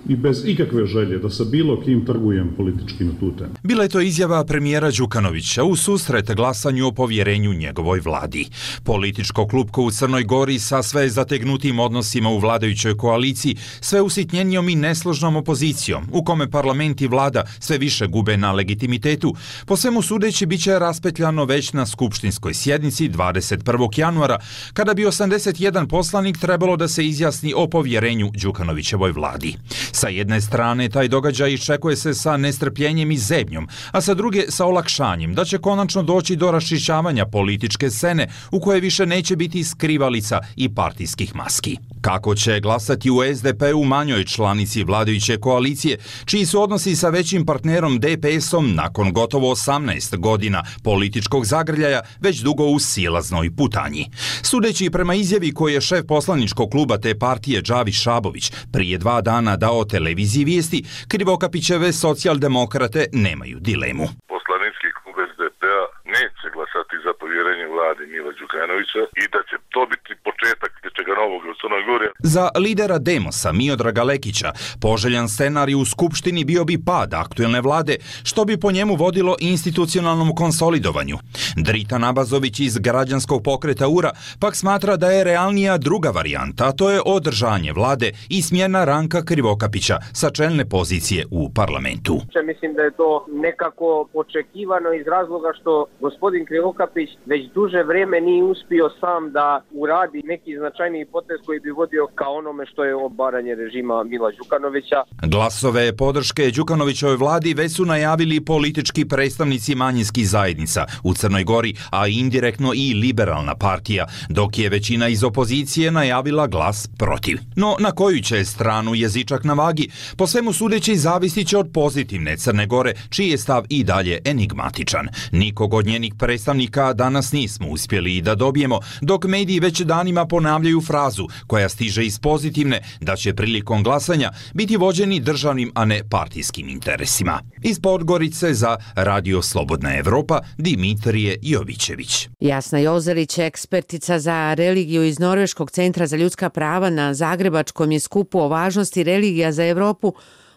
i bez ikakve želje da sa bilo kim trgujem politički na tu temu. Bila je to izjava premijera Đukanovića u susret glasanju o povjerenju njegovoj vladi. Političko klupko u Crnoj Gori sa sve zategnutim odnosima u vladajućoj koaliciji, sve usitnjenijom i nesložnom opozicijom, u kome parlament i vlada sve više gube na legitimitetu, po svemu sudeći bit će raspetljano već na skupštinskoj sjednici 21. januara, kada bi 81 poslanik trebalo da se izjasni o povjerenju Đukanovićevoj vladi. Sa jedne strane, taj događaj iščekuje se sa nestrpljenjem i zebnjom, a sa druge sa olakšanjem da će konačno doći do raščišćavanja političke scene u koje više neće biti skrivalica i partijskih maski. Kako će glasati u SDP-u manjoj članici vladajuće koalicije, čiji su odnosi sa većim partnerom DPS-om nakon gotovo 18 godina političkog zagrljaja već dugo u silaznoj putanji. Sudeći prema izjavi koju je šef poslaničkog kluba te partije Džavi Šabović prije 2 dana dao televiziji Vijesti, Krivokapićeve socijaldemokrate nemaju dilemu. Poslanički klub SDP-a neće glasati za povjerenje vladi Mila Đukanovića i da će to biti početak nečega novog u Crnoj Gori. Za lidera Demosa Miodraga Lekića poželjan scenarij u Skupštini bio bi pad aktuelne vlade, što bi po njemu vodilo institucionalnom konsolidovanju. Drita Nabazović iz građanskog pokreta URA pak smatra da je realnija druga varijanta, a to je održanje vlade i smjena Ranka Krivokapića sa čelne pozicije u parlamentu. Mislim da je to nekako očekivano iz razloga što gospodin Krivokapić već duže vrijeme nije uspio sam da uradi neki značajniji potez koji bi vodio ka onome što je obaranje režima Mila Đukanovića. Glasove podrške Đukanovićevoj vladi već su najavili politički predstavnici manjinskih zajednica u Crnoj Gori, a indirektno i liberalna partija, dok je većina iz opozicije najavila glas protiv. No na koju će stranu jezičak na vagi, po svemu sudeći zavisit će od pozitivne Crne Gore, čiji je stav i dalje enigmatičan. Nikog od njenih predstavnika danas nismo uspjeli da dobijemo, dok mediji već danima ponavljaju frazu koja stiže iz pozitivne da će prilikom glasanja biti vođeni državnim, a ne partijskim interesima. Iz Podgorice za Radio Slobodna Evropa, Dimitrije Jovićević. Jasna Jozelić, ekspertica za religiju iz Norveškog centra za ljudska prava na Zagrebačkom je skupu o važnosti religija za Evropu,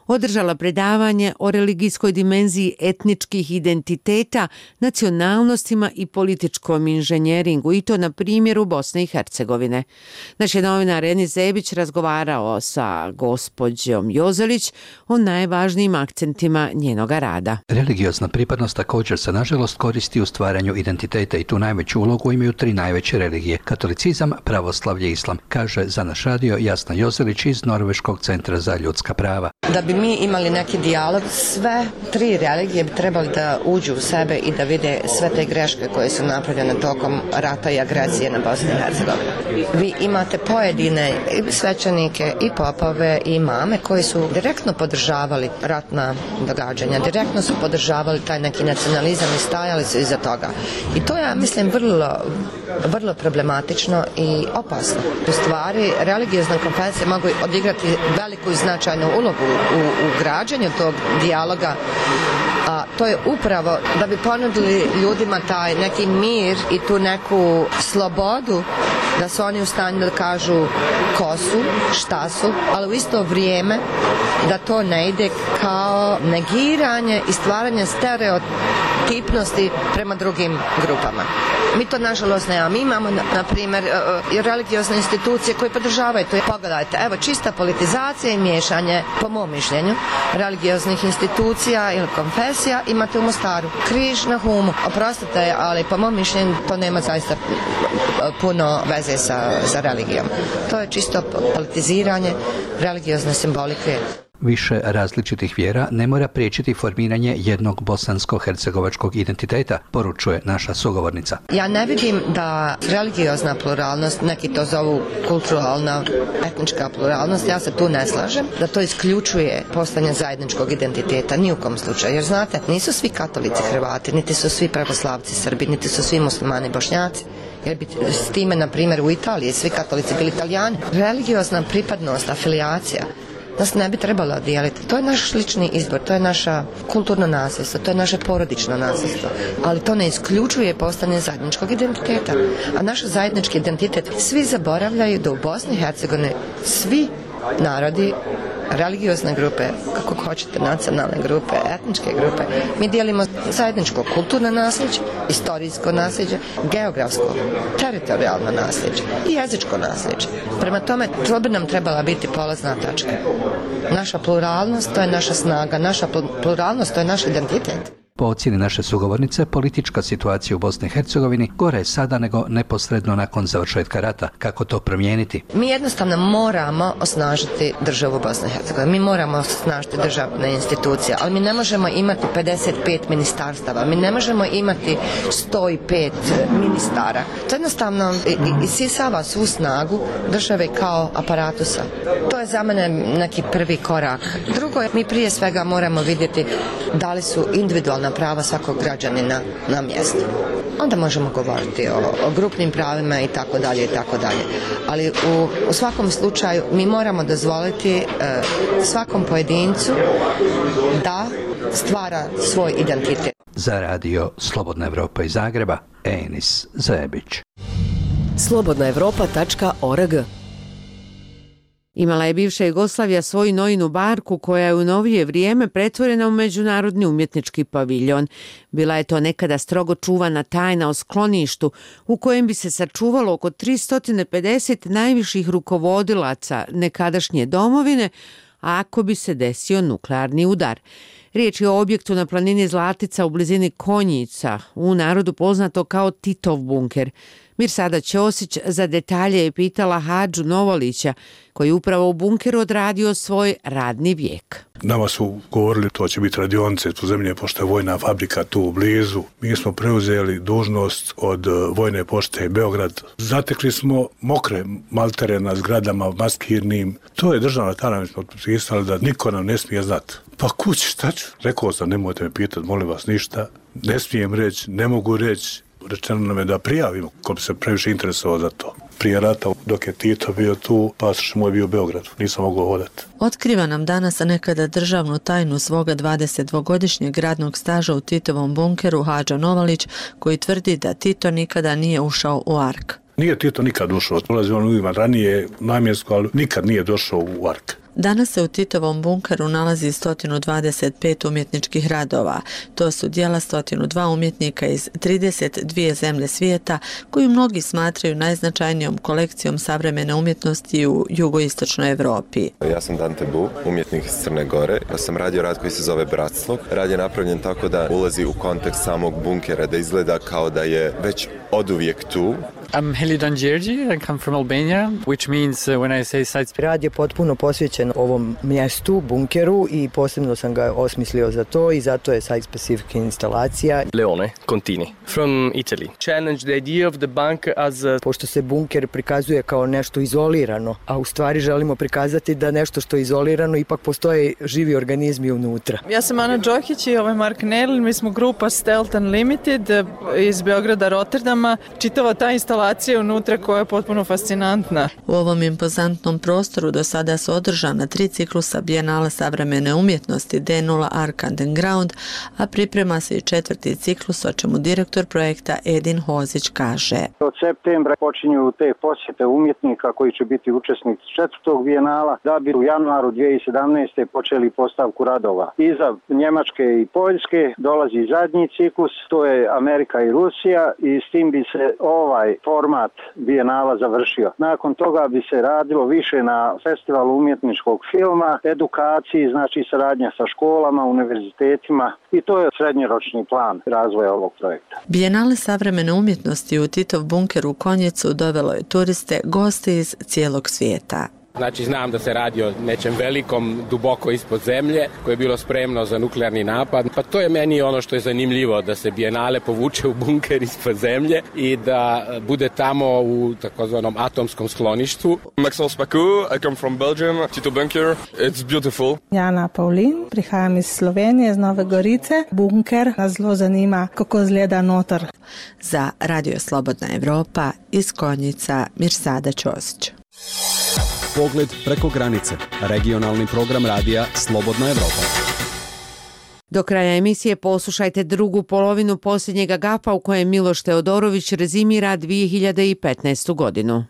održala predavanje o religijskoj dimenziji etničkih identiteta, nacionalnostima i političkom inženjeringu, i to na primjeru Bosne i Hercegovine. Naš je novinar Enis Zebić razgovarao sa gospođom Jozelić o najvažnijim akcentima njenoga rada. Religiozna pripadnost također se nažalost koristi u stvaranju identiteta i tu najveću ulogu imaju 3 najveće religije: katolicizam, pravoslavlje i islam, kaže za naš radio Jasna Jozelić iz Norveškog centra za ljudska prava. Da bi mi imali neki dijalog, sve 3 religije bi trebali da uđu u sebe i da vide sve te greške koje su napravljene tokom rata i agresije na Bosnu i Hercegovinu. Vi imate pojedine i svećenike i popove i imame koji su direktno podržavali ratna događanja, direktno su podržavali taj neki nacionalizam i stajali su iza toga. I to ja mislim vrlo problematično i opasno. U stvari, religiozne konfesije mogu odigrati veliku i značajnu ulogu u građenju tog dijaloga, a to je upravo da bi ponudili ljudima taj neki mir i tu neku slobodu da su oni u stanju da kažu ko su, šta su, ali u isto vrijeme da to ne ide kao negiranje i stvaranje stereotipnosti prema drugim grupama. Mi to nažalost nemamo. Mi imamo, na primjer, religiozne institucije koje podržavaju to. Pogledajte, evo, čista politizacija i miješanje, po mom mišljenju, religioznih institucija ili konfesija imate u Mostaru. Križ na Humu. Oprostite, ali po mom mišljenju to nema zaista puno veze sa religijom. To je čisto politiziranje religiozne simbolike. Više različitih vjera ne mora priječiti formiranje jednog bosansko-hercegovačkog identiteta, poručuje naša sugovornica. Ja ne vidim da religiozna pluralnost, neki to zovu kulturalna, etnička pluralnost, ja se tu ne slažem, da to isključuje postojanje zajedničkog identiteta, ni u kom slučaju. Jer znate, nisu svi katolici Hrvati, niti su svi pravoslavci Srbi, niti su svi muslimani Bošnjaci. Jer bi s time, na primjer, u Italiji svi katolici bili Italijani. Religiozna pripadnost, afilijacija, nas ne bi trebalo dijeliti. To je naš lični izbor, to je naša kulturno nasljedstvo, to je naše porodično nasljedstvo. Ali to ne isključuje postojanje zajedničkog identiteta. A naš zajednički identitet, svi zaboravljaju da u Bosni i Hercegovini svi narodi, religiozne grupe, kako hoćete, nacionalne grupe, etničke grupe, mi dijelimo zajedničko kulturno nasljeđe, istorijsko nasljeđe, geografsko, teritorijalno nasljeđe i jezičko nasljeđe. Prema tome, to bi nam trebala biti polazna tačka. Naša pluralnost, to je naša snaga, naša pluralnost, to je naš identitet. Po ocjeni naše sugovornice, politička situacija u Bosni i Hercegovini gora je sada nego neposredno nakon završetka rata. Kako to promijeniti? Mi jednostavno moramo osnažiti državu Bosne i Hercegovine. Mi moramo osnažiti državne institucije, ali mi ne možemo imati 55 ministarstava, mi ne možemo imati 105 ministara. To jednostavno isisava svu snagu države kao aparatusa. To je za mene neki prvi korak. Drugo je, mi prije svega moramo vidjeti da li su individualna prava svakog građanina na mjestu. Onda možemo govoriti o grupnim pravima i tako dalje i tako dalje. Ali u svakom slučaju mi moramo dozvoliti svakom pojedincu da stvara svoj identitet. Za radio Slobodna Evropa iz Zagreba, Enis Zebić. Slobodnaevropa.org. Imala je bivša Jugoslavija svoju Noinu barku koja je u novije vrijeme pretvorena u međunarodni umjetnički paviljon. Bila je to nekada strogo čuvana tajna o skloništu u kojem bi se sačuvalo oko 350 najviših rukovodilaca nekadašnje domovine ako bi se desio nuklearni udar. Riječ je o objektu na planini Zlatica u blizini Konjica, u narodu poznato kao Titov bunker. Mirsada Ćosić za detalje je pitala Hadžu Novolića, koji je upravo u bunkeru odradio svoj radni vijek. Nama su govorili to će biti radionice tu zemlje, pošto je vojna fabrika tu blizu. Mi smo preuzeli dužnost od vojne pošte Beograd. Zatekli smo mokre maltere na zgradama maskirnim. To je državna tajna, mi smo potpisali da niko nam ne smije znati. Pa kući, šta ću? Rekao sam, nemojte me pitati, molim vas ništa. Ne smijem reći, ne mogu reći. Rečeno nam je da prijavimo ko bi se previše interesovao za to. Prije rata, dok je Tito bio tu, pasoš moj bio u Beogradu. Nisam mogao hodati. Otkriva nam danas nekada državnu tajnu svoga 22-godišnjeg radnog staža u Titovom bunkeru Hadža Novalić, koji tvrdi da Tito nikada nije ušao u Ark. Nije Tito nikad ušao. Ulazi on ranije namjensko, ali nikad nije došao u Ark. Danas se u Titovom bunkeru nalazi 125 umjetničkih radova. To su dijela 102 umjetnika iz 32 zemlje svijeta, koju mnogi smatraju najznačajnijom kolekcijom savremene umjetnosti u jugoistočnoj Evropi. Ja sam Dante Bu, umjetnik iz Crne Gore. Ja sam radio rad koji se zove Bratstvo. Rad je napravljen tako da ulazi u kontekst samog bunkera, da izgleda kao da je već oduvijek tu. I'm Helidan Đerđi, I come from Albania, which means when I say site... Rad je potpuno posvećen ovom mjestu, bunkeru, i posebno sam ga osmislio za to i zato je site-specific instalacija. Leone Contini, from Italy. Challenge the idea of the bunker as Pošto se bunker prikazuje kao nešto izolirano, a u stvari želimo prikazati da nešto što je izolirano ipak postoje živi organizmi unutra. Ja sam Ana Đokić i ovo je Mark Nel, mi smo grupa Stealth Unlimited iz Beograda, Rotterdama. Čitava ta instalacija unutra koja je potpuno fascinantna. U ovom impozantnom prostoru do sada su održana 3 ciklusa Bijenala savremene umjetnosti D0 Ark Underground, a priprema se i 4. ciklus, o čemu direktor projekta Edin Hozić kaže. Od septembra počinju te posjete umjetnika koji će biti učesnici 4. Bijenala, da bi u januaru 2017. počeli postavku radova. Iza Njemačke i Poljske dolazi zadnji ciklus, to je Amerika i Rusija, i s tim bi se ovaj format Bijenala završio. Nakon toga bi se radilo više na festivalu umjetničkog filma, edukaciji, znači saradnja sa školama, univerzitetima, i to je srednjoročni plan razvoja ovog projekta. Bijenale savremene umjetnosti u Titov bunker u Konjicu dovelo je turiste, goste iz cijelog svijeta. Znači, znam da se radi o nečem velikom, duboko ispod zemlje, koje je bilo spremno za nuklearni napad. Pa to je meni ono što je zanimljivo, da se Bijenale povuče u bunker ispod zemlje i da bude tamo u takozvanom atomskom skloništu. Maxence Spacu, I come from Belgium, Tito bunker, it's beautiful. Jana Paulin, prihajam iz Slovenije, iz Nove Gorice. Bunker nas zelo zanima, kako izgleda noter. Za Radio Slobodna Evropa iz Konjica, Mirsada Ćosić. Pogled preko granice. Regionalni program radija Slobodna Evropa. Do kraja emisije poslušajte drugu polovinu posljednjeg agafa u kojem Miloš Teodorović rezimira 2015. godinu.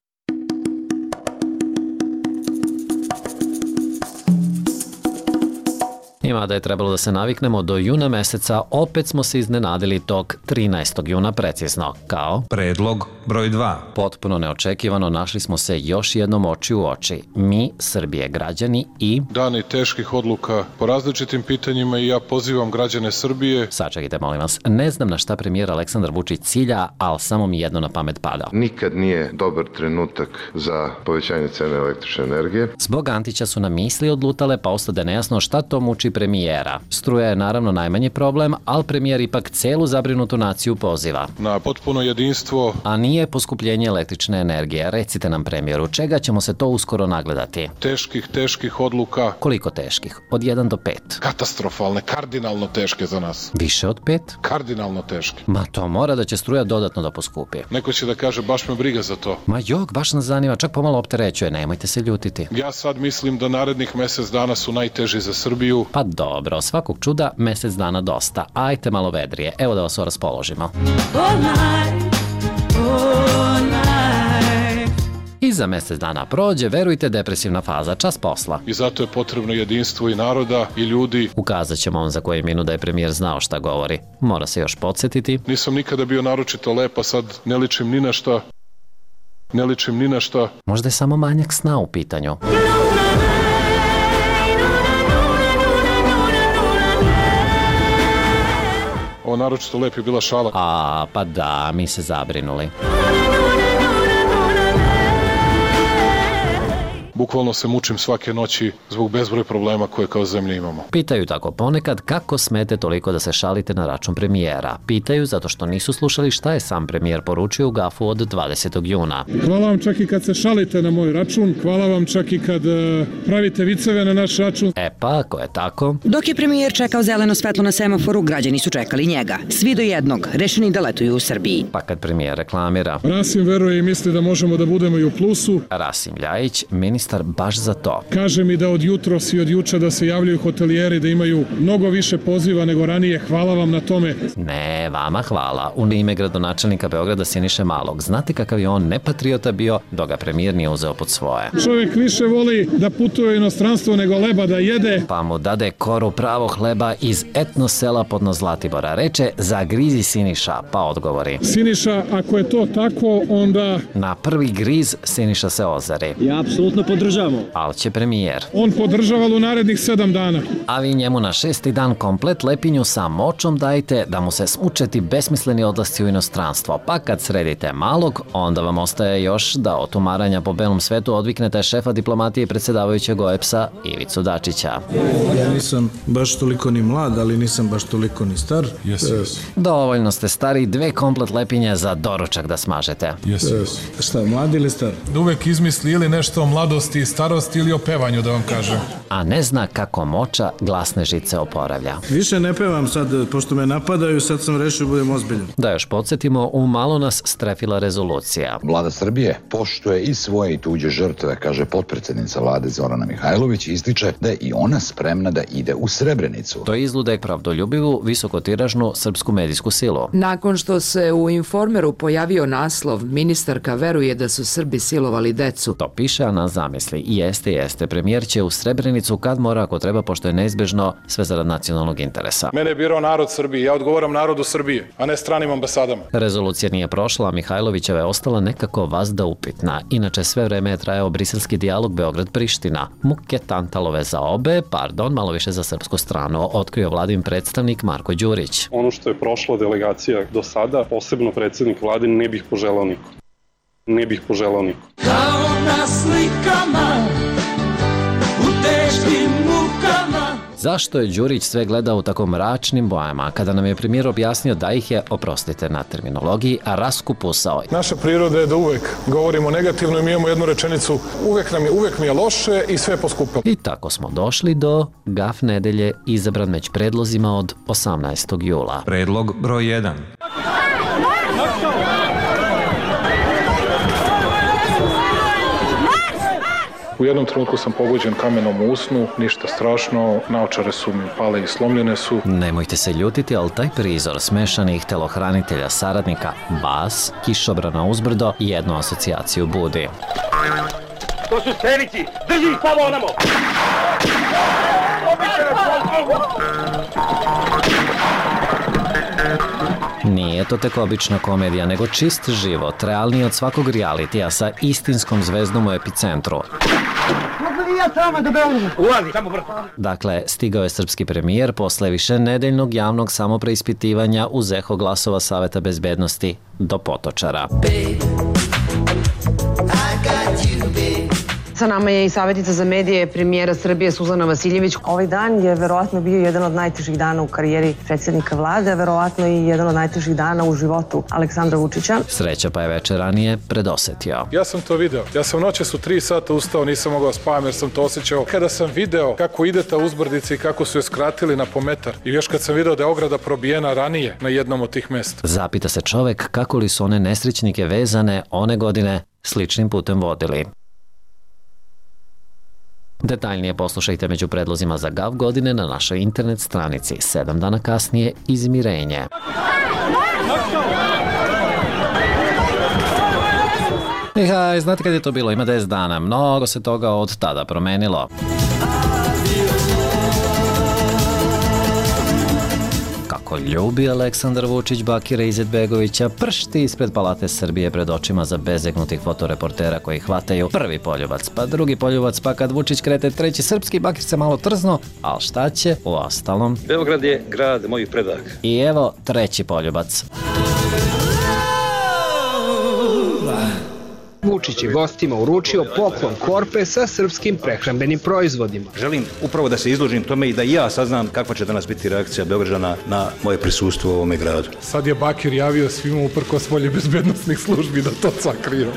Ima da je trebalo da se naviknemo do juna meseca, opet smo se iznenadili tog 13. juna precizno, kao predlog broj 2. Potpuno neočekivano našli smo se još jednom oči u oči. Mi, Srbije građani i... Dani teških odluka po različitim pitanjima i ja pozivam građane Srbije... Sačekajte, molim vas, ne znam na šta premijer Aleksandar Vučić cilja, ali samo mi jedno na pamet pada. Nikad nije dobar trenutak za povećanje cene električne energije. Zbog Antića su nam misli odlutale, pa ostade nejasno šta to muči premijera. Struja je naravno najmanji problem, ali premijer ipak celu zabrinutu naciju poziva. Na potpuno jedinstvo. A nije poskupljenje električne energije. Recite nam, premijeru, čega ćemo se to uskoro nagledati? Teških odluka. Koliko teških? Od 1 do 5. Katastrofalne, kardinalno teške za nas. Više od 5? Kardinalno teške. Ma to mora da će struja dodatno da poskupi. Neko će da kaže, baš me briga za to. Ma jok, baš nas zanima, čak pomalo opterećuje, nemojte se ljutiti. Ja sad mislim da narednih mjesec dana su najteži za Srbiju. Pa dobro, svakog čuda mjesec dana dosta. Ajte malo vedrije, evo da vas raspoložimo. I za mjesec dana prođe, verujte, depresivna faza, čas posla. I zato je potrebno jedinstvo i naroda i ljudi. Ukazat ćemo on za koju minut da je premijer znao šta govori. Mora se još podsjetiti. Nisam nikada bio naročito lep, a sad ne ličim ni na šta. Možda je samo manjak sna u pitanju. Ovo naročito lep je bila šala. A, pa da, mi se zabrinuli. Bukvalno se mučim svake noći zbog bezbroj problema koje kao zemlja imamo. Pitaju tako ponekad kako smete toliko da se šalite na račun premijera. Pitaju zato što nisu slušali šta je sam premijer poručio u gafu od 20. juna. Hvala vam čak i kad se šalite na moj račun, hvala vam čak i kad pravite viceve na naš račun. E pa, ako je tako... Dok je premijer čekao zeleno svetlo na semaforu, građani su čekali njega. Svi do jednog, rešeni da letuju u Srbiji. Pa kad premijer reklamira... Rasim veruje i misli da možemo da budemo i u plusu. Rasim Ljajić, ministar ministar baš za to. Kaže mi da od jutros i od juče da se javljaju hotelijeri, da imaju mnogo više poziva nego ranije. Hvala vam na tome. Ne, vama hvala. U ime gradonačelnika Beograda Siniše Malog. Znate kakav je on nepatriota bio, dok ga premijer nije uzeo pod svoje. Čovjek više voli da putuje u inostranstvo nego leba da jede. Pa mu dade koru pravog hleba iz etno sela podno Zlatibora. Reče, zagrizi Siniša, pa odgovori. Siniša, ako je to tako, onda... Na prvi griz Siniša se ozari. Ja apsolutno podržavamo. Ali će premijer. On podržava u narednih 7 dana. A vi njemu na 6. dan komplet lepinju sa močom dajte da mu se smučeti besmisleni odlasci u inostranstvo. Pa kad sredite Malog, onda vam ostaje još da od umaranja po belom svetu odviknete šefa diplomatije i predsjedavajućeg OEBS-a Ivicu Dačića. Ja nisam baš toliko ni mlad, ali nisam baš toliko ni star. Dovoljno ste stari 2 komplet lepinje za doručak da smažete. Šta, mlad ili star? Uvek izmisli ili nešto o mladosti i starosti ili o pevanju, da vam kažem. A ne zna kako moča glasne žice oporavlja. Više ne pevam sad, pošto me napadaju, sad sam rešio budem ozbiljan. Da još podsjetimo, u malo nas strefila rezolucija. Vlada Srbije poštuje i svoje i tuđe žrtve, kaže potpredsjednica vlade Zorana Mihajlović, ističe da je i ona spremna da ide u Srebrenicu. To izlude pravdoljubivu, visokotiražnu srpsku medijsku silu. Nakon što se u Informeru pojavio naslov, ministarka veruje da su Srbi silovali decu. To piše, a nas zamisli. Jeste. Premijer će u Srebrenicu kad mora, ako treba, pošto je neizbežno, sve zarad nacionalnog interesa. Mene je birao narod Srbije, ja odgovaram narodu Srbije, a ne stranim ambasadama. Rezolucija nije prošla, a Mihajlovićeva je ostala nekako vazda upitna. Inače, sve vreme je trajao briselski dijalog Beograd-Priština. Muke tantalove za obe, malo više za srpsku stranu, otkrio vladin predstavnik Marko Đurić. Ono što je prošla delegacija do sada, posebno predsjednik vlade, ne bih poželao niko. Kao na slikama, u teškim mukama. Zašto je Đurić sve gledao u tako mračnim bojama, kada nam je premijer objasnio da ih je, oprostite na terminologiji, raskupusao? Naša priroda je da uvek govorimo negativno i mi imamo jednu rečenicu, uvek mi je loše i sve je poskupilo. I tako smo došli do Gaf nedelje, izabran među predlozima od 18. jula. Predlog broj 1. U jednom trenutku sam pogođen kamenom u usnu, ništa strašno, naočare su mi pale i slomljene su. Nemojte se ljutiti, ali taj prizor smešanih telohranitelja saradnika, bas, kišobrana uzbrdo, jednu asocijaciju budi. To su strelici, drži ih tamo onamo! Nije to tek obična komedija, nego čist život, realniji od svakog realitija sa istinskom zvezdom u epicentru. Dakle, stigao je srpski premijer posle više nedeljnog javnog samopreispitivanja uz eho glasova Saveta bezbednosti do Potočara. Sa nama je i savjetnica za medije premijera Srbije Suzana Vasiljević. Ovaj dan je verovatno bio jedan od najtežih dana u karijeri predsjednika vlade, verovatno i jedan od najtežih dana u životu Aleksandra Vučića. Sreća pa je večer ranije predosetio. Ja sam to video. Ja sam noćas u 3 sata ustao, nisam mogao spavam jer sam to osjećao. Kada sam video kako ide ta uzbrdica i kako su je skratili na pometar i još kad sam video da je ograda probijena ranije na jednom od tih mesta. Zapita se čovek kako li su one nesrećnike vezane one godine sličnim putem vodili. Detaljnije poslušajte među predlozima za Gav godine na našoj internet stranici. 7 dana kasnije izmirenje. Znate kad je to bilo? Ima 10 dana. Mnogo se toga od tada promenilo. Kako ljubi Aleksandar Vučić Bakira Izetbegovića, pršti ispred Palate Srbije pred očima za bezegnutih fotoreportera koji hvataju prvi poljubac, pa drugi poljubac, pa kad Vučić krete treći srpski, Bakir se malo trzno, ali šta će u ostalom? Beograd je grad mojih predaka. I evo treći poljubac. Vučić je gostima uručio poklon korpe sa srpskim prehrambenim proizvodima. Želim upravo da se izložim tome i da i ja saznam kakva će danas biti reakcija Beograđana na moje prisustvo u ovome gradu. Sad je Bakir javio svima uprkos volje bezbednosnih službi da to sakriju.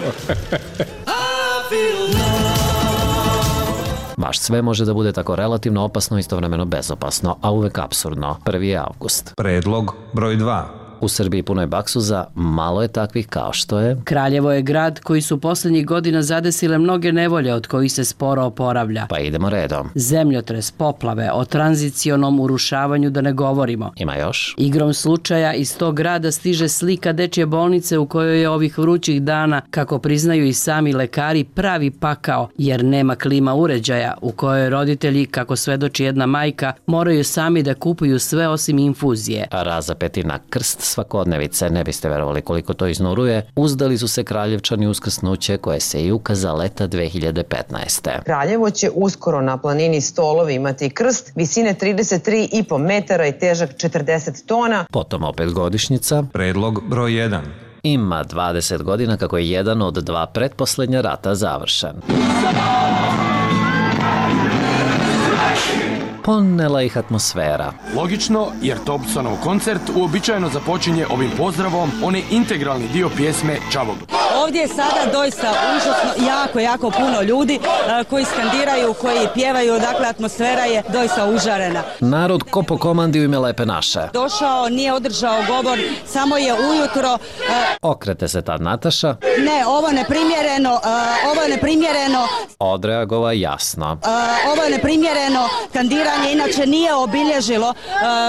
Baš sve može da bude tako relativno opasno, istovremeno bezopasno, a uvek apsurdno. 1. avgust. Predlog broj 2. U Srbiji punoj baksuza malo je takvih kao što je... Kraljevo je grad koji su posljednjih godina zadesile mnoge nevolje od kojih se sporo oporavlja. Pa idemo redom. Zemljotres, poplave, o tranzicionom urušavanju da ne govorimo. Ima još? Igrom slučaja iz tog grada stiže slika dečje bolnice u kojoj je ovih vrućih dana, kako priznaju i sami lekari, pravi pakao, jer nema klima uređaja, u kojoj roditelji, kako svedoči jedna majka, moraju sami da kupuju sve osim infuzije. A razapeti na krst svakodnevice, ne biste verovali koliko to iznuruje, uzdali su se Kraljevčani uskrsnuće koje se i ukaza leta 2015. Kraljevo će uskoro na planini Stolovi imati krst visine 33,5 metara i težak 40 tona. Potom opet godišnjica. Predlog broj 1. Ima 20 godina kako je jedan od dva pretposlednja rata završen. Ponela ih atmosfera. Logično, jer Thompsonov koncert uobičajeno započinje ovim pozdravom, on je integralni dio pjesme Čavogluk. Ovdje je sada doista užasno jako puno ljudi koji skandiraju, koji pjevaju, dakle atmosfera je doista užarena. Narod ko po komandi u ime Lepe naše. Došao, nije održao govor, samo je ujutro... Okrete se tad Nataša. Ne, ovo je neprimjereno. Odreagova jasno. Ovo je neprimjereno, skandiranje inače nije obilježilo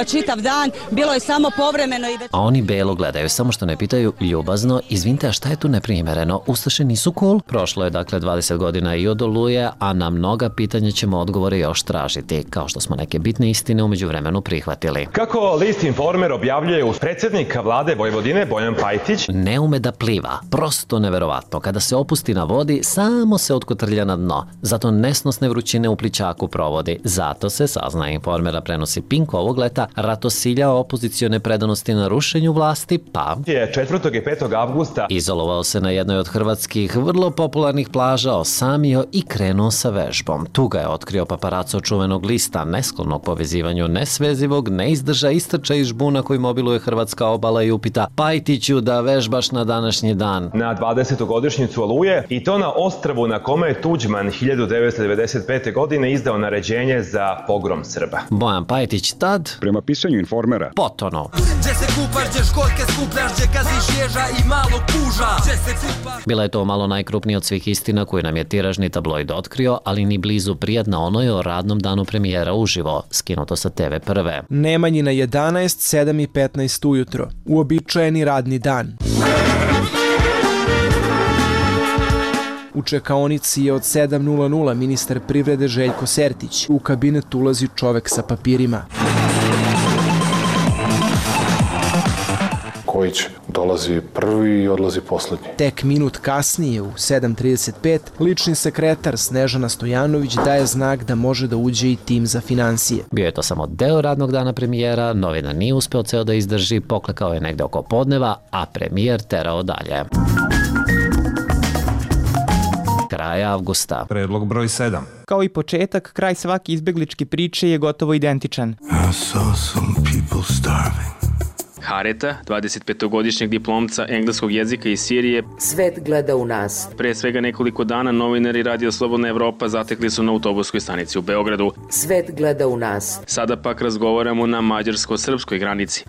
čitav dan, bilo je samo povremeno i... A oni belo gledaju, samo što ne pitaju ljubazno, izvinite, a šta je tu neprimjereno? Ustaše nisu cool. Prošlo je dakle 20 godina i od Oluje, a na mnoga pitanja ćemo odgovore još tražiti, kao što smo neke bitne istine u međuvremenu prihvatili. Kako list Informer objavljuje uz predsjednika vlade Vojvodine Bojan Pajtić? Ne ume da pliva, prosto neverovatno. Kada se opusti na vodi, samo se otkotrlja na dno. Zato nesnosne vrućine u plićaku provodi. Zato se, saznaje Informera, prenosi Pink ovog leta, ratosilja opozicione predanosti na rušenju vlasti, pa... 4. i 5. avgusta izolovao se na jednoj od hrvatskih vrlo popularnih plaža, osamio i krenuo sa vežbom. Tu ga je otkrio paparaco čuvenog lista, nesklonog povezivanju nesvezivog, neizdrža istrča iz žbuna koji mobiluje hrvatska obala i upita: Pajtiću, da vežbaš na današnji dan? Na 20. godišnjicu Oluje, i to na ostrvu na kome je Tuđman 1995. godine izdao naređenje za pogrom Srba. Bojan Pajtić tad, prema pisanju Informera, potonuo. Gdje se kupaš, gdje školjke skupljaš, gdje gaziš ježa i malog puža. Bila je to malo najkrupnija od svih istina koju nam je tiražni tabloid otkrio, ali ni blizu prijatna onoj o radnom danu premijera uživo, skinuto sa TV Prve. Nemanjina 11, 7 i 15 ujutro. Uobičajeni radni dan. U čekaonici je od 7:00 ministar privrede Željko Sertić. U kabinet ulazi čovek sa papirima. Kojić dolazi prvi i odlazi poslednji. Tek minut kasnije, u 7:35, lični sekretar Snežana Stojanović daje znak da može da uđe i tim za finansije. Bio je to samo deo radnog dana premijera, novinar nije uspeo ceo da izdrži, poklekao je negde oko podneva, a premijer terao dalje. Kraj avgusta. Predlog broj 7. Kao i početak, kraj svake izbegličke priče je gotovo identičan. Hareta, 25-godišnjeg diplomca engleskog jezika iz Sirije. Svet gleda u nas. Pre svega nekoliko dana novinari Radio Slobodna Evropa zatekli su na autobuskoj stanici u Beogradu. Svet gleda u nas. Sada pak razgovaramo na mađarsko-srpskoj granici.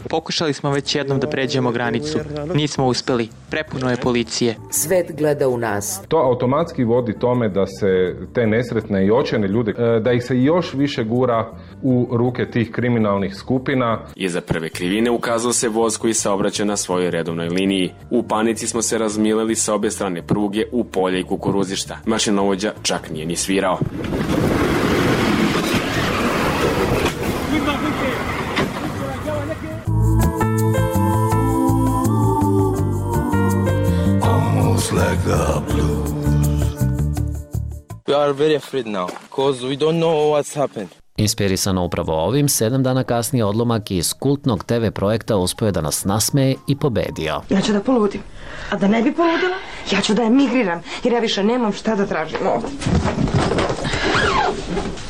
Pokušali smo već jednom da pređemo granicu. Nismo uspeli. Prepuno je policije. Svet gleda u nas. To automatski vodi tome da se te nesretne i očajne ljude, da ih se još više gura u ruke tih kriminalnih skupina. Iza prve krivine ukazao se voz koji saobraća na svojoj redovnoj liniji. U panici smo se razmileli sa obe strane pruge u polje i kukuruzišta. Mašinovođa čak nije ni svirao. We are very afraid now because we don't know what's happened. Inspirisano upravo ovim, 7 dana kasnije odlomak iz kultnog TV projekta uspio je da nas nasmeje i pobedio. Ja ću da poludim, a da ne bi poludila, ja ću da emigriram, jer ja više nemam šta da tražim ovdje.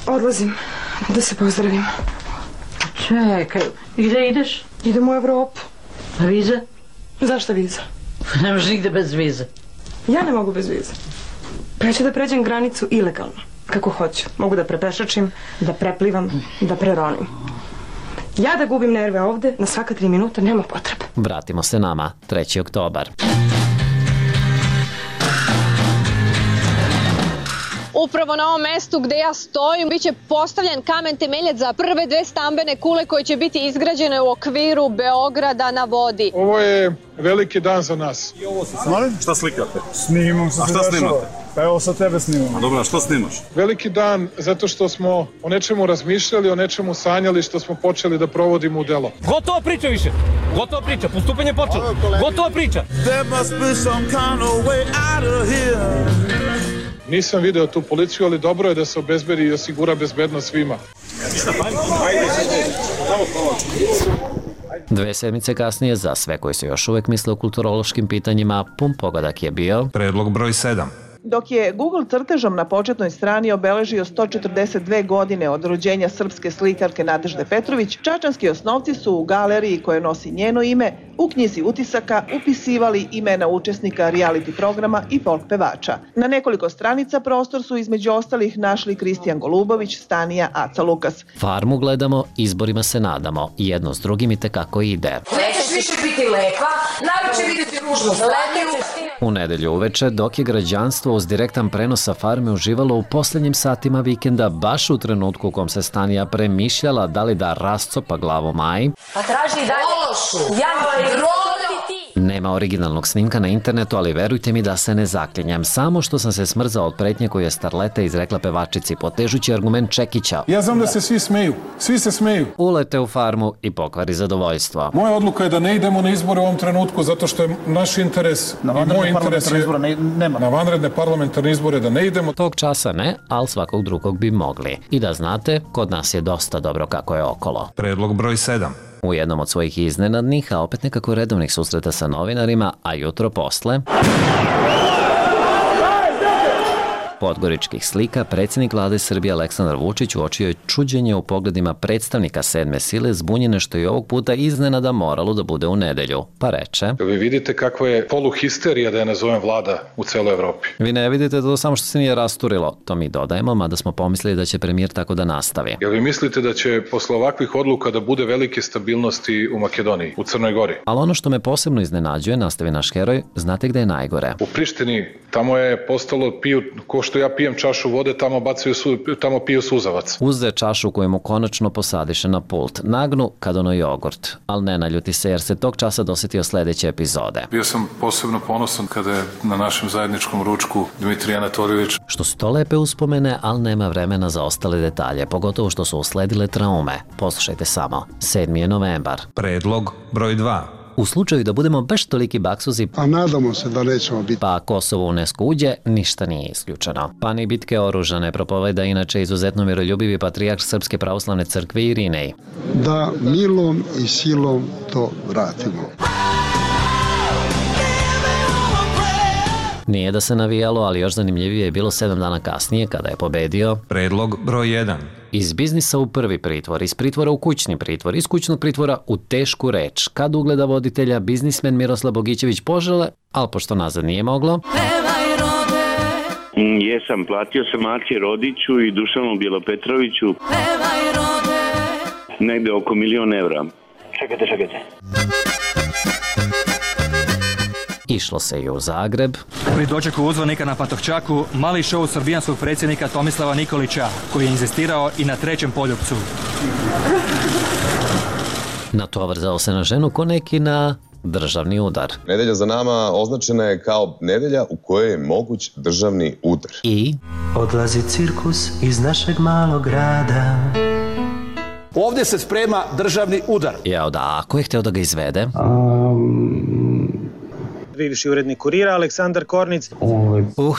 Odlazim da se pozdravim. Čekaj, gdje ideš? Idem u Evropu. A viza? Zašto viza? Ne možeš nigde bez vize. Ja ne mogu bez vize. Pa ja ću da pređem granicu ilegalno. Kako hoću. Mogu da prepešačim, da preplivam, da preronim. Ja da gubim nerve ovde na svaka 3 minuta, nema potrebe. Vratimo se nama, 3. oktobar. Upravo na ovom mestu gde ja stojim biće postavljen kamen temeljac za prve 2 stambene kule koje će biti izgrađene u okviru Beograda na vodi. Ovo je veliki dan za nas. Molim? Šta slikate? Snimam se. A šta snimate? Pa evo sa tebe snimam. A dobro, a što snimaš? Veliki dan zato što smo o nečemu razmišljali, o nečemu sanjali, što smo počeli da provodimo u delo. Gotova priča više. Gotova priča. Postupanje je počelo. Gotova priča. Nisam video tu policiju, ali dobro je da se obezbedi i osigura bezbednost svima. 2 sedmice kasnije, za sve koji se još uvek misle o kulturološkim pitanjima, pun pogodak je bio Predlog broj 7. Dok je Google crtežom na početnoj strani obeležio 142 godine od rođenja srpske slikarke Nadežde Petrović, čačanski osnovci su u galeriji koje nosi njeno ime u knjizi utisaka upisivali imena učesnika reality programa i folk pevača. Na nekoliko stranica prostor su između ostalih našli Kristijan Golubović, Stanija, Aca Lukas. Farmu gledamo, izborima se nadamo. Jedno s drugim i tekako ide. Nećeš više biti lepa, narod će vidjeti ružnu zlatiju. U nedelju uveče, dok je građanstvo uz direktan prenos sa farme uživalo u posljednjim satima vikenda, baš u trenutku u kom se Stanija premišljala da li da rascopa glavu Maji, Pa traži dalje. nema originalnog snimka na internetu, ali verujte mi da se ne zaklinjem. Samo što sam se smrzao od pretnje koju je starleta izrekla pevačici, potežući argument Čekića. Ja znam da se svi smeju. Svi se smeju. Ulete u farmu i pokvari zadovoljstvo. Moja odluka je da ne idemo na izbore u ovom trenutku, zato što je naš interes i moj interes je na vanredne parlamentarne izbore da ne idemo. Tog časa ne, ali svakog drugog bi mogli. I da znate, kod nas je dosta dobro kako je okolo. Predlog broj 7. U jednom od svojih iznenadnih, a opet nekako redovnih susreta sa novinarima, a jutro posle podgoričkih slika, predsjednik vlade Srbije Aleksandar Vučić uočio je čuđenje u pogledima predstavnika sedme sile, zbunjene što je ovog puta iznenada moralo da bude u nedelju. Pa reče: Vi vidite kakva je poluhisterija, da je nazovem, vlada u celoj Evropi. Vi ne vidite to samo što se nije rasturilo. To mi dodajemo, mada smo pomislili da će premijer tako da nastavi. Jel vi mislite da će posle ovakvih odluka da bude velike stabilnosti u Makedoniji, u Crnoj Gori? Ali ono što me posebno iznenađuje, nastavi naš heroj, znate gde je najgore? U Prištini, tamo je postalo ko što ja pijem čašu vode, tamo piju suzavac. Uze čašu koju mu konačno posadiše na pult. Nagnu kad ono jogurt. Ali ne naljuti se jer se tog časa dosetio sledeće epizode. Bio sam posebno ponosan kada je na našem zajedničkom ručku Dmitrij Anatoljević. Što su to lepe uspomene, ali nema vremena za ostale detalje, pogotovo što su usledile traume. Poslušajte samo. 7. je novembar. Predlog broj 2. U slučaju da budemo baš toliki baksuzi, a nadamo se da nećemo biti, pa Kosovo u UNESCO uđe, ništa nije isključeno. Pa ni bitke oružane propoveda inače izuzetno miroljubivi patrijarh Srpske pravoslavne crkve Irinej. Da milom i silom to vratimo. Nije da se navijalo, ali još zanimljivije je bilo 7 dana kasnije kada je pobedio Predlog broj 1. Iz biznisa u prvi pritvor, iz pritvora u kućni pritvor, iz kućnog pritvora u tešku reč. Kad ugleda voditelja biznismen Miroslav Bogićević požele, ali pošto nazad nije moglo, Jesam, platio sam Aci Rodiću i Dušanu Bjelopetroviću negde oko 1.000.000 evra. Čekajte. Išlo se i u Zagreb. Pri dočeku uzvanika na Pantovčaku, mali šou srbijanskog predsjednika Tomislava Nikolića, koji je inzistirao i na 3. poljupcu. Natovrzao se na ženu ko neki na državni udar. Nedelja za nama označena je kao nedelja u kojoj je moguć državni udar. I odlazi cirkus iz našeg malog grada. Ovdje se sprema državni udar. Jao da, ako je hteo da ga izvede? Bivši urednik Kurira, Aleksandar Kornic.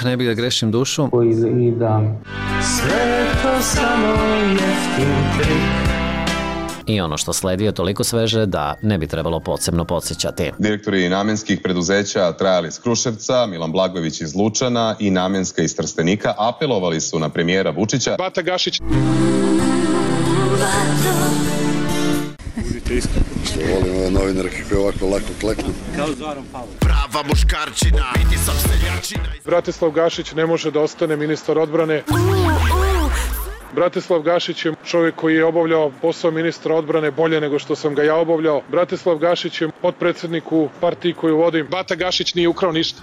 Ne bih da grešim dušu. Sve to samo jeftin trik. I ono što sledi je toliko sveže da ne bi trebalo posebno podsjećati. Direktori namenskih preduzeća Trajal iz Kruševca, Milan Blagojević iz Lučana i Namenska iz Trstenika apelovali su na premijera Vučića. Bata Gašić. Što volim ove novinarke koje ovako lako kleknu. Kao Zoran Pavlov. Prava muškarčina, vidi sam seljačina. Bratislav Gašić ne može da ostane ministar odbrane. Bratislav Gašić je čovjek koji je obavljao posao ministra odbrane bolje nego što sam ga ja obavljao. Bratislav Gašić je potpredsednik u partiji koju vodim. Bata Gašić nije ukrao ništa.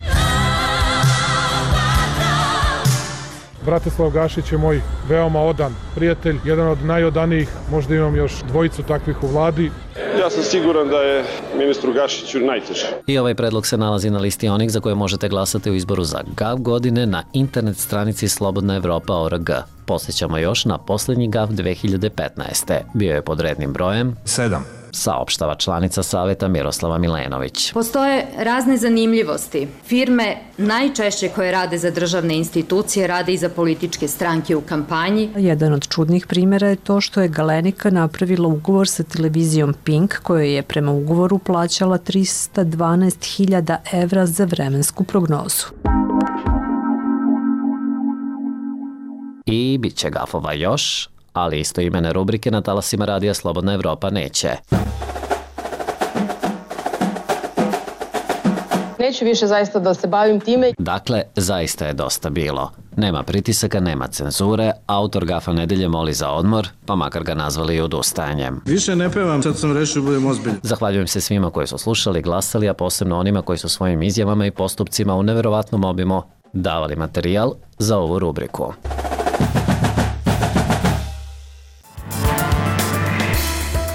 Bratislav Gašić je moj veoma odan prijatelj, jedan od najodanijih, možda imam još dvojicu takvih u vladi. Ja sam siguran da je ministru Gašiću najteže. I ovaj predlog se nalazi na listi onih za koje možete glasati u izboru za GAV godine na internet stranici Slobodna Evropa.org. Posjećamo još na posljednji GAV 2015. Bio je pod rednim brojem 7. Saopštava članica Saveta Miroslava Milenović. Postoje razne zanimljivosti. Firme najčešće koje rade za državne institucije rade i za političke stranke u kampanji. Jedan od čudnih primjera je to što je Galenika napravila ugovor sa televizijom Pink, kojoj je prema ugovoru plaćala 312.000 evra za vremensku prognozu. I bit će gafova još, ali istoimene rubrike na talasima Radija Slobodna Evropa neće. Neću više zaista da se bavim time. Dakle, zaista je dosta bilo. Nema pritisaka, nema cenzure, autor Gafa nedelje moli za odmor, pa makar ga nazvali i odustajanjem. Više ne pevam, sad sam rešio budem ozbiljan. Zahvaljujem se svima koji su slušali, glasali, a posebno onima koji su svojim izjavama i postupcima u neverovatnom obimu davali materijal za ovu rubriku.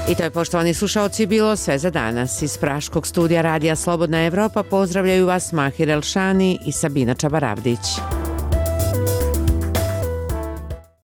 I to je, poštovani slušaoci, bilo sve za danas. Iz praškog studija Radija Slobodna Evropa pozdravljaju vas Mahir Elšani i Sabina Čabaravdić.